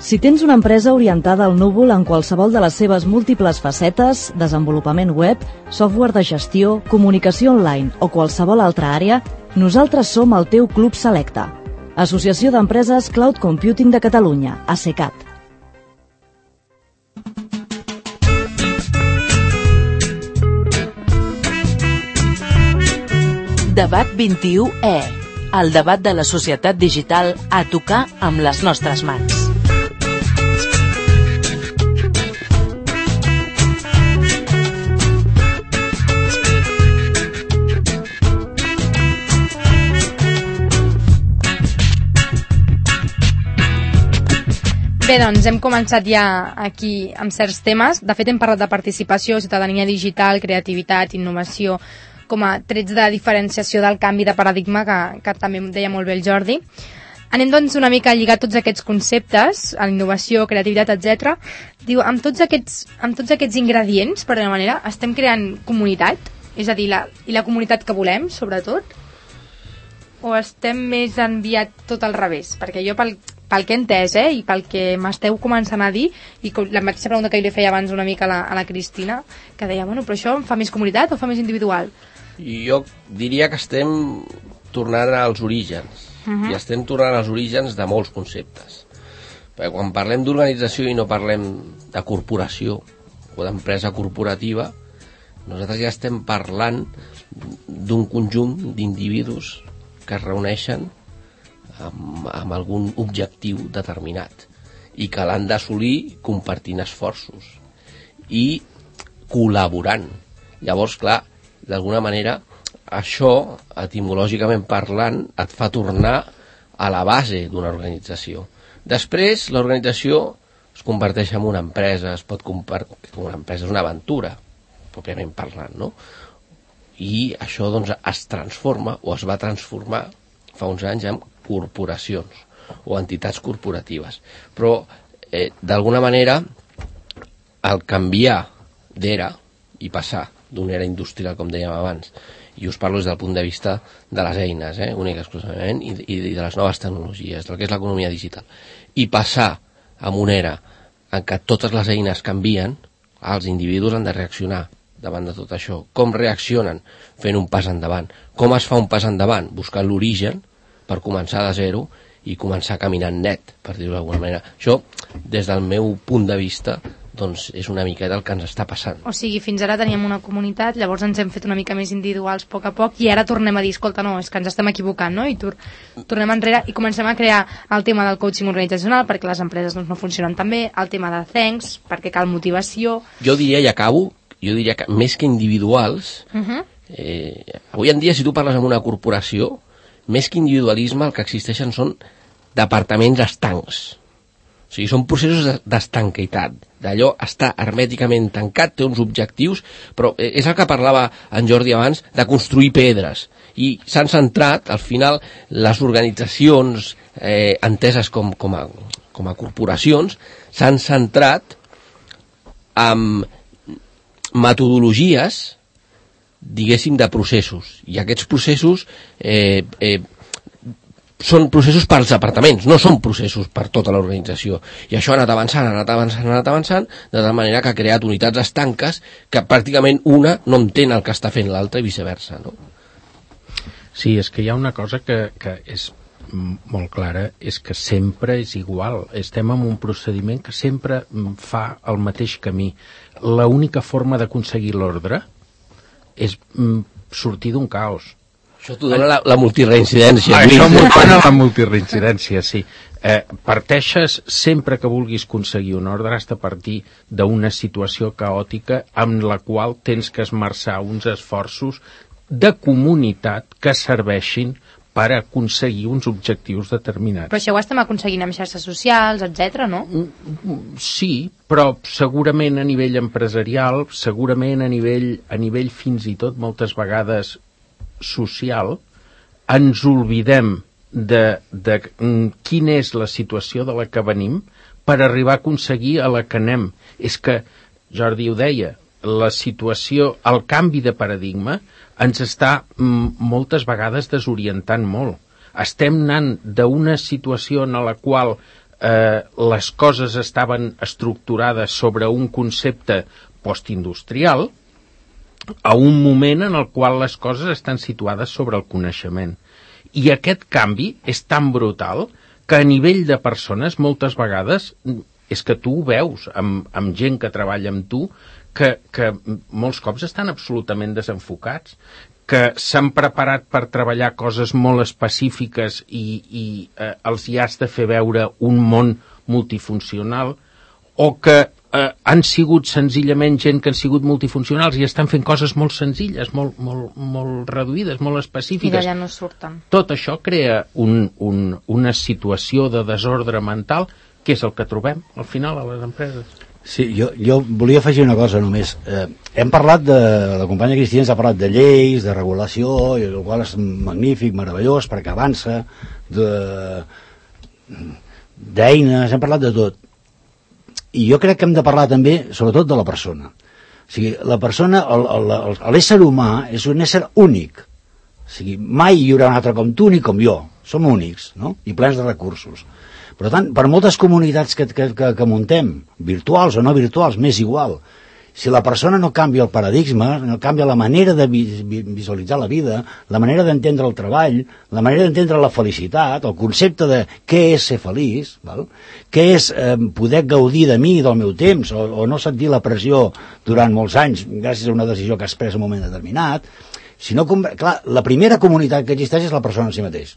Si tens una empresa orientada al núvol en qualsevol de les seves múltiples facetes, desenvolupament web, software de gestió, comunicació online o qualsevol altra àrea, nosaltres som el teu Club Selecta. Associació d'Empreses Cloud Computing de Catalunya, ASECAT. Debat vint-i-u E. El debat de la societat digital a tocar amb les nostres mans. Bé, doncs hem començat ja aquí amb certs temes. De fet, hem parlat de participació, ciutadania digital, creativitat, innovació, com a trets de diferenciació del canvi de paradigma que, que també deia molt bé el Jordi. Anem doncs una mica a lligar tots aquests conceptes, a la innovació, creativitat, etcètera. Diu, amb tots aquests, amb tots aquests ingredients, per alguna manera, estem creant comunitat? És a dir, la, i la comunitat que volem, sobretot? O estem més enviat tot al revés? Perquè jo, pel, pel que he entès, eh, i pel que m'esteu començant a dir, i com, la mateixa pregunta que li feia abans una mica a la, a la Cristina, que deia, bueno, però això em fa més comunitat o fa més individual? Jo diria que estem tornant als orígens, uh-huh. i estem tornant als orígens de molts conceptes. Perquè quan parlem d'organització i no parlem de corporació o d'empresa corporativa, nosaltres ja estem parlant d'un conjunt d'individus que es reuneixen amb, amb algun objectiu determinat i que l'han d'assolir compartint esforços i col·laborant. Llavors, clar, d'alguna manera, això, etimològicament parlant, et fa tornar a la base d'una organització. Després, l'organització es converteix en una empresa, es pot compartir, una empresa és una aventura, pròpiament parlant, no? I això, doncs, es transforma, o es va transformar fa uns anys en corporacions o entitats corporatives. Però, eh, d'alguna manera, al canviar d'era i passar d'una era industrial, com dèiem abans, i us parlo des del punt de vista de les eines, eh, únic exclusivament, i, i de les noves tecnologies, del que és l'economia digital, i passar a una era en què totes les eines canvien, els individus han de reaccionar davant de tot això. Com reaccionen? Fent un pas endavant. Com es fa un pas endavant? Buscant l'origen per començar de zero i començar caminant net, per dir-ho d'alguna manera. Això, des del meu punt de vista, doncs és una miqueta el que ens està passant. O sigui, fins ara teníem una comunitat, llavors ens hem fet una mica més individuals a poc a poc i ara tornem a dir, escolta, no, és que ens estem equivocant, no? I tor tornem enrere i comencem a crear el tema del coaching organitzacional perquè les empreses doncs, no funcionen tan bé, el tema de thanks, perquè cal motivació... Jo diria, i acabo, jo diria que més que individuals, uh -huh. eh, avui en dia, si tu parles amb una corporació, més que individualisme, el que existeixen són departaments estancs. O sigui, són processos d'estanquitat. D'allò està hermèticament tancat, té uns objectius, però és el que parlava en Jordi abans, de construir pedres. I s'han centrat, al final, les organitzacions eh, enteses com, com, a, com a corporacions, s'han centrat en metodologies, diguéssim, de processos. I aquests processos eh, eh, són processos per als departaments, no són processos per tota l'organització. I això ha anat avançant, ha anat avançant, ha anat avançant, de tal manera que ha creat unitats estanques que pràcticament una no entén el que està fent l'altra i viceversa, no? Sí, és que hi ha una cosa que, que és molt clara, és que sempre és igual. Estem en un procediment que sempre fa el mateix camí. L'única forma d'aconseguir l'ordre és sortir d'un caos. Això t'ho dona la, la multireincidència. Ah, això m'ho dona la multireincidència, sí. Eh, parteixes, sempre que vulguis aconseguir un ordre, has de partir d'una situació caòtica amb la qual tens que esmerçar uns esforços de comunitat que serveixin per aconseguir uns objectius determinats. Però això ho estem aconseguint amb xarxes socials, etcètera, no? Sí, però segurament a nivell empresarial, segurament a nivell, a nivell fins i tot moltes vegades social, ens oblidem de, de quina és la situació de la que venim per arribar a aconseguir a la que anem. És que, Jordi ho deia, la situació, el canvi de paradigma ens està mm, moltes vegades desorientant molt. Estem anant d'una situació en la qual eh, les coses estaven estructurades sobre un concepte postindustrial a un moment en el qual les coses estan situades sobre el coneixement. I aquest canvi és tan brutal que a nivell de persones moltes vegades és que tu ho veus amb, amb gent que treballa amb tu que, que molts cops estan absolutament desenfocats, que s'han preparat per treballar coses molt específiques i, i eh, els hi has de fer veure un món multifuncional, o que eh, han sigut senzillament gent que han sigut multifuncionals i estan fent coses molt senzilles, molt, molt, molt reduïdes, molt específiques. I d'allà no surten. Tot això crea un, un, una situació de desordre mental que és el que trobem al final a les empreses. Sí, jo, jo volia afegir una cosa només. Eh, hem parlat de, la companya Cristina ha parlat de lleis, de regulació, i el qual és magnífic, meravellós, perquè avança, de, d'eines, hem parlat de tot. I jo crec que hem de parlar també, sobretot, de la persona. O sigui, la persona, el, el, el, l'ésser humà és un ésser únic. O sigui, mai hi haurà un altre com tu ni com jo. Som únics, no? I plens de recursos. Per tant, per moltes comunitats que, que, que, que muntem, virtuals o no virtuals, m'és igual. Si la persona no canvia el paradigma, no canvia la manera de visualitzar la vida, la manera d'entendre el treball, la manera d'entendre la felicitat, el concepte de què és ser feliç, val? Què és eh, poder gaudir de mi, del meu temps, o, o no sentir la pressió durant molts anys gràcies a una decisió que has pres en un moment determinat. Si no, clar, la primera comunitat que existeix és la persona en si mateix.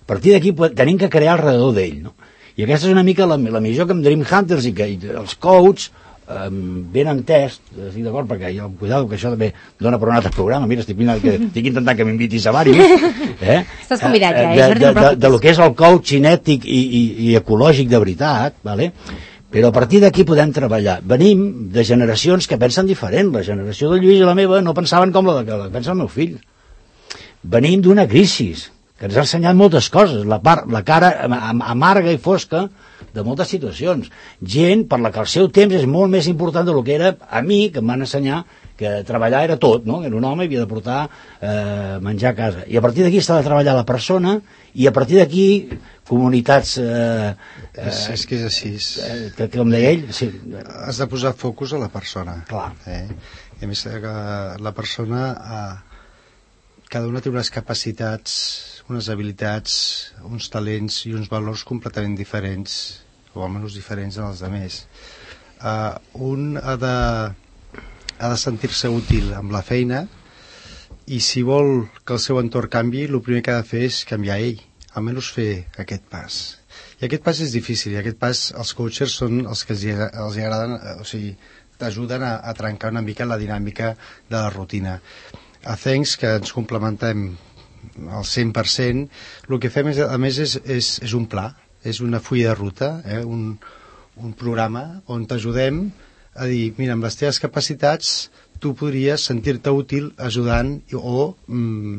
A partir d'aquí tenim que crear alrededor d'ell, no? I aquesta és una mica la, la missió que amb Dream Hunters i que i els coach eh, ben entès, estic d'acord, perquè jo, cuidado, que això també dona per un altre programa, mira, estic, que, estic intentant que m'invitis a diversos, eh? Estàs convidat ja, eh? De, de, de, de lo que és el coaching ètic i, i, i ecològic de veritat, vale? Però a partir d'aquí podem treballar. Venim de generacions que pensen diferent. La generació del Lluís i la meva no pensaven com la que pensa el meu fill. Venim d'una crisi que ens ha ensenyat moltes coses, la, part, la cara amarga i fosca de moltes situacions. Gent per la que el seu temps és molt més important del que era a mi, que em van ensenyar que treballar era tot, no? Era un home i havia de portar eh, menjar a casa. I a partir d'aquí està de treballar la persona i a partir d'aquí comunitats... Eh, eh, és, és que és així. Eh, que, com deia ell... Sí. Has de posar focus a la persona. Clar. Eh? I a més, que la persona... Eh, cada una té unes capacitats, unes habilitats, uns talents i uns valors completament diferents, o almenys diferents dels altres. Uh, un ha de, ha de sentir-se útil amb la feina i si vol que el seu entorn canvi, el primer que ha de fer és canviar ell, almenys fer aquest pas. I aquest pas és difícil, i aquest pas els coaches són els que els, els agraden, o sigui, t'ajuden a, a trencar una mica la dinàmica de la rutina. A Thanks, que ens complementem al cent per cent, el que fem és, a més és, és, és un pla, és una fulla de ruta, eh? un, un programa on t'ajudem a dir, mira, amb les teves capacitats tu podries sentir-te útil ajudant o mm,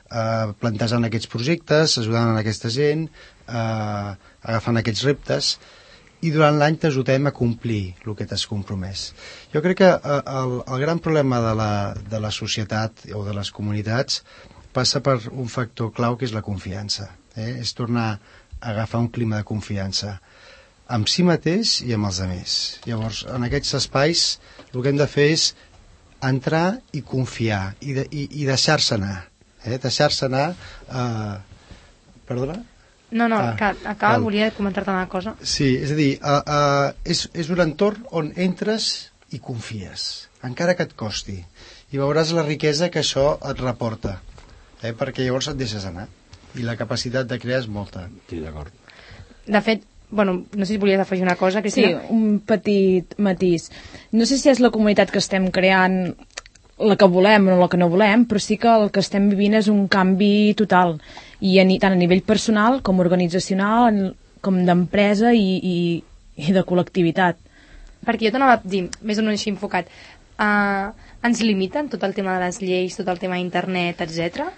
eh, plantejant aquests projectes, ajudant a aquesta gent, eh, agafant aquests reptes, i durant l'any t'ajudem a complir el que t'has compromès. Jo crec que el, el gran problema de la, de la societat o de les comunitats passa per un factor clau que és la confiança. Eh? És tornar a agafar un clima de confiança amb si mateix i amb els altres. Llavors, en aquests espais el que hem de fer és entrar i confiar i, de, i, i deixar-se anar. Eh? Deixar-se anar... Eh... Perdona? No, no, ah, que acaba, cal. Volia comentar-te una cosa. Sí, és a dir, uh, uh, és, és un entorn on entres i confies, encara que et costi, i veuràs la riquesa que això et reporta, eh? Perquè llavors et deixes anar, i la capacitat de crear és molta. Sí, d'acord. De fet, bueno, no sé si volies afegir una cosa, Cristina. Sí, un petit matís. No sé si és la comunitat que estem creant la que volem o la que no volem, però sí que el que estem vivint és un canvi total, i a, tant a nivell personal com organitzacional, com d'empresa i, i, i de col·lectivitat. Perquè jo t'anava a dir, més o menys així enfocat, uh, ens limiten tot el tema de les lleis, tot el tema d'internet, etcètera?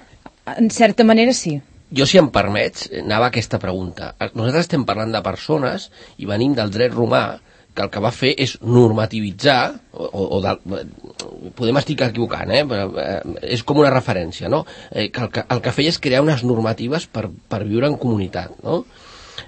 En certa manera sí. jo, si em permets, anava a aquesta pregunta. Nosaltres estem parlant de persones i venim del dret romà, que el que va fer és normativitzar, o, o de, podem estar equivocant, eh? Però, eh, és com una referència, no? Eh, que el, que el que feia és crear unes normatives per, per viure en comunitat, no?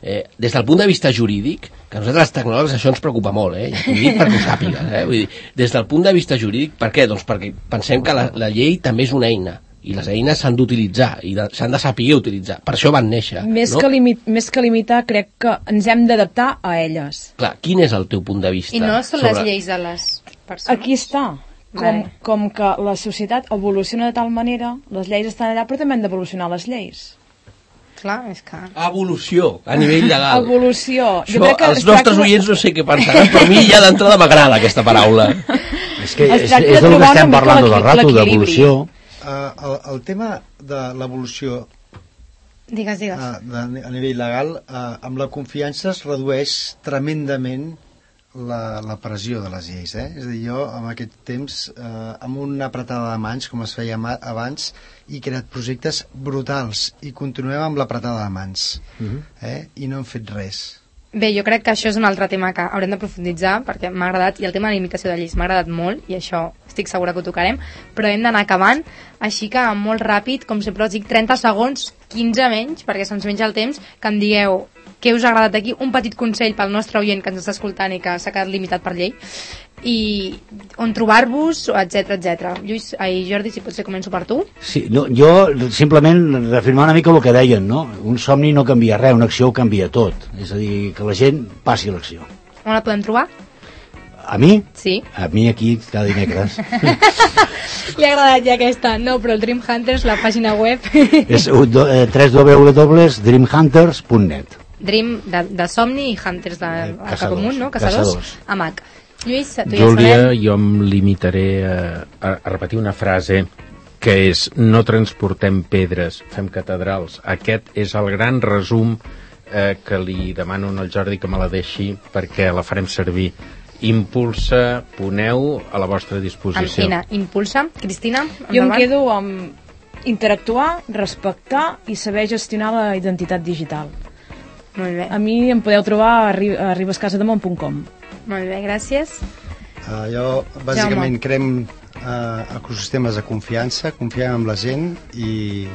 Eh, des del punt de vista jurídic, que a nosaltres els tecnòlegs això ens preocupa molt, eh? I ho dic perquè ho sàpigues, eh? Vull dir, des del punt de vista jurídic, per què? Doncs perquè pensem que la, la llei també és una eina, i les eines s'han d'utilitzar i s'han de saber utilitzar, per això van néixer, més, no? que limit, més que limitar, crec que ens hem d'adaptar a elles. Clar, quin és el teu punt de vista? I no són sobre... les lleis de les persones. Aquí està. Com, com que la societat evoluciona de tal manera, les lleis estan allà, però també han d'evolucionar les lleis. Clar, és que... Evolució, a nivell legal. Evolució. Això, jo crec que els nostres tracta... oients no sé què pensaran, però a mi ja d'entrada m'agrada aquesta paraula. És que és, és del que estem parlant tot el rato, d'evolució. Uh, el, el tema de l'evolució digues, digues. Uh, de, a nivell legal, uh, amb la confiança es redueix tremendament la, la pressió de les lleis, eh? És a dir, jo en aquest temps, uh, amb una apretada de mans, com es feia abans, he creat projectes brutals i continuem amb l'apretada de mans, uh-huh. eh? I no hem fet res. Bé, jo crec que això és un altre tema que haurem de profunditzar, perquè m'ha agradat, i el tema de limitació de lleis m'ha agradat molt, i això estic segura que ho tocarem, però hem d'anar acabant, així que molt ràpid, com sempre us dic, trenta segons, quinze menys, perquè se'ns menja el temps, que em digueu què us ha agradat aquí, un petit consell pel nostre oient que ens està escoltant i que s'ha quedat limitat per llei, i on trobar-vos, etcètera, etcètera. Lluís, ai, Jordi, si potser començo per tu. Sí, no, jo simplement reafirmar una mica el que deien, no? Un somni no canvia res, una acció ho canvia tot. És a dir, que la gent passi l'acció. On la podem trobar? A mi? Sí. A mi aquí cada dimecres. Li ha agradat ja aquesta. No, però el Dream Hunters, la pàgina web... és w w w punt dream hunters punt net. Dream de, de somni i Hunters de eh, comú, no? Caçadors. Caçadors. A Mac. Lluís, tu Júlia, ja jo em limitaré a, a, a repetir una frase que és: no transportem pedres, fem catedrals. Aquest és el gran resum eh, que li demano al Jordi que me la deixi perquè la farem servir. Impulsa, poneu a la vostra disposició. Amina, impulsa. Cristina, jo em quedo amb interactuar, respectar i saber gestionar la identitat digital. Molt bé. A mi em podeu trobar a, arri a arribascasademont punt com. Molt bé, gràcies. Uh, jo, bàsicament, creem uh, ecosistemes de confiança, confiem en la gent i,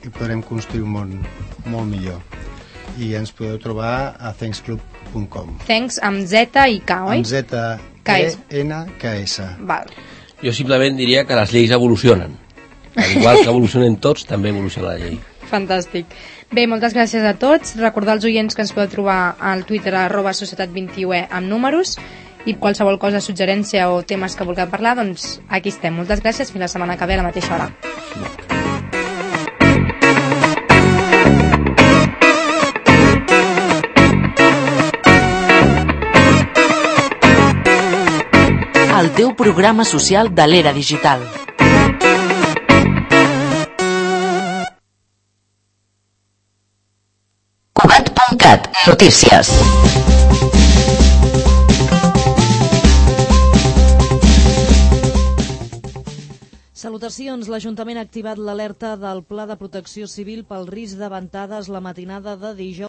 i podrem construir un món molt millor. I ens podeu trobar a thanks club punt com. Thanks amb Z i K, oi? Amb Z, E, N, K, S. Val. Jo simplement diria que les lleis evolucionen. Al igual que evolucionen tots, també evoluciona la llei. Fantàstic. Bé, moltes gràcies a tots. Recordar als oients que ens podeu trobar al Twitter arroba societat vint i u e amb números, i qualsevol cosa, suggerència o temes que vulgueu parlar, doncs aquí estem. Moltes gràcies, fins la setmana que ve a la mateixa hora. El teu programa social de l'era digital. Cugat punt cat, notícies. Salutacions. L'Ajuntament ha activat l'alerta del Pla de Protecció Civil pel risc de ventades la matinada de dijous.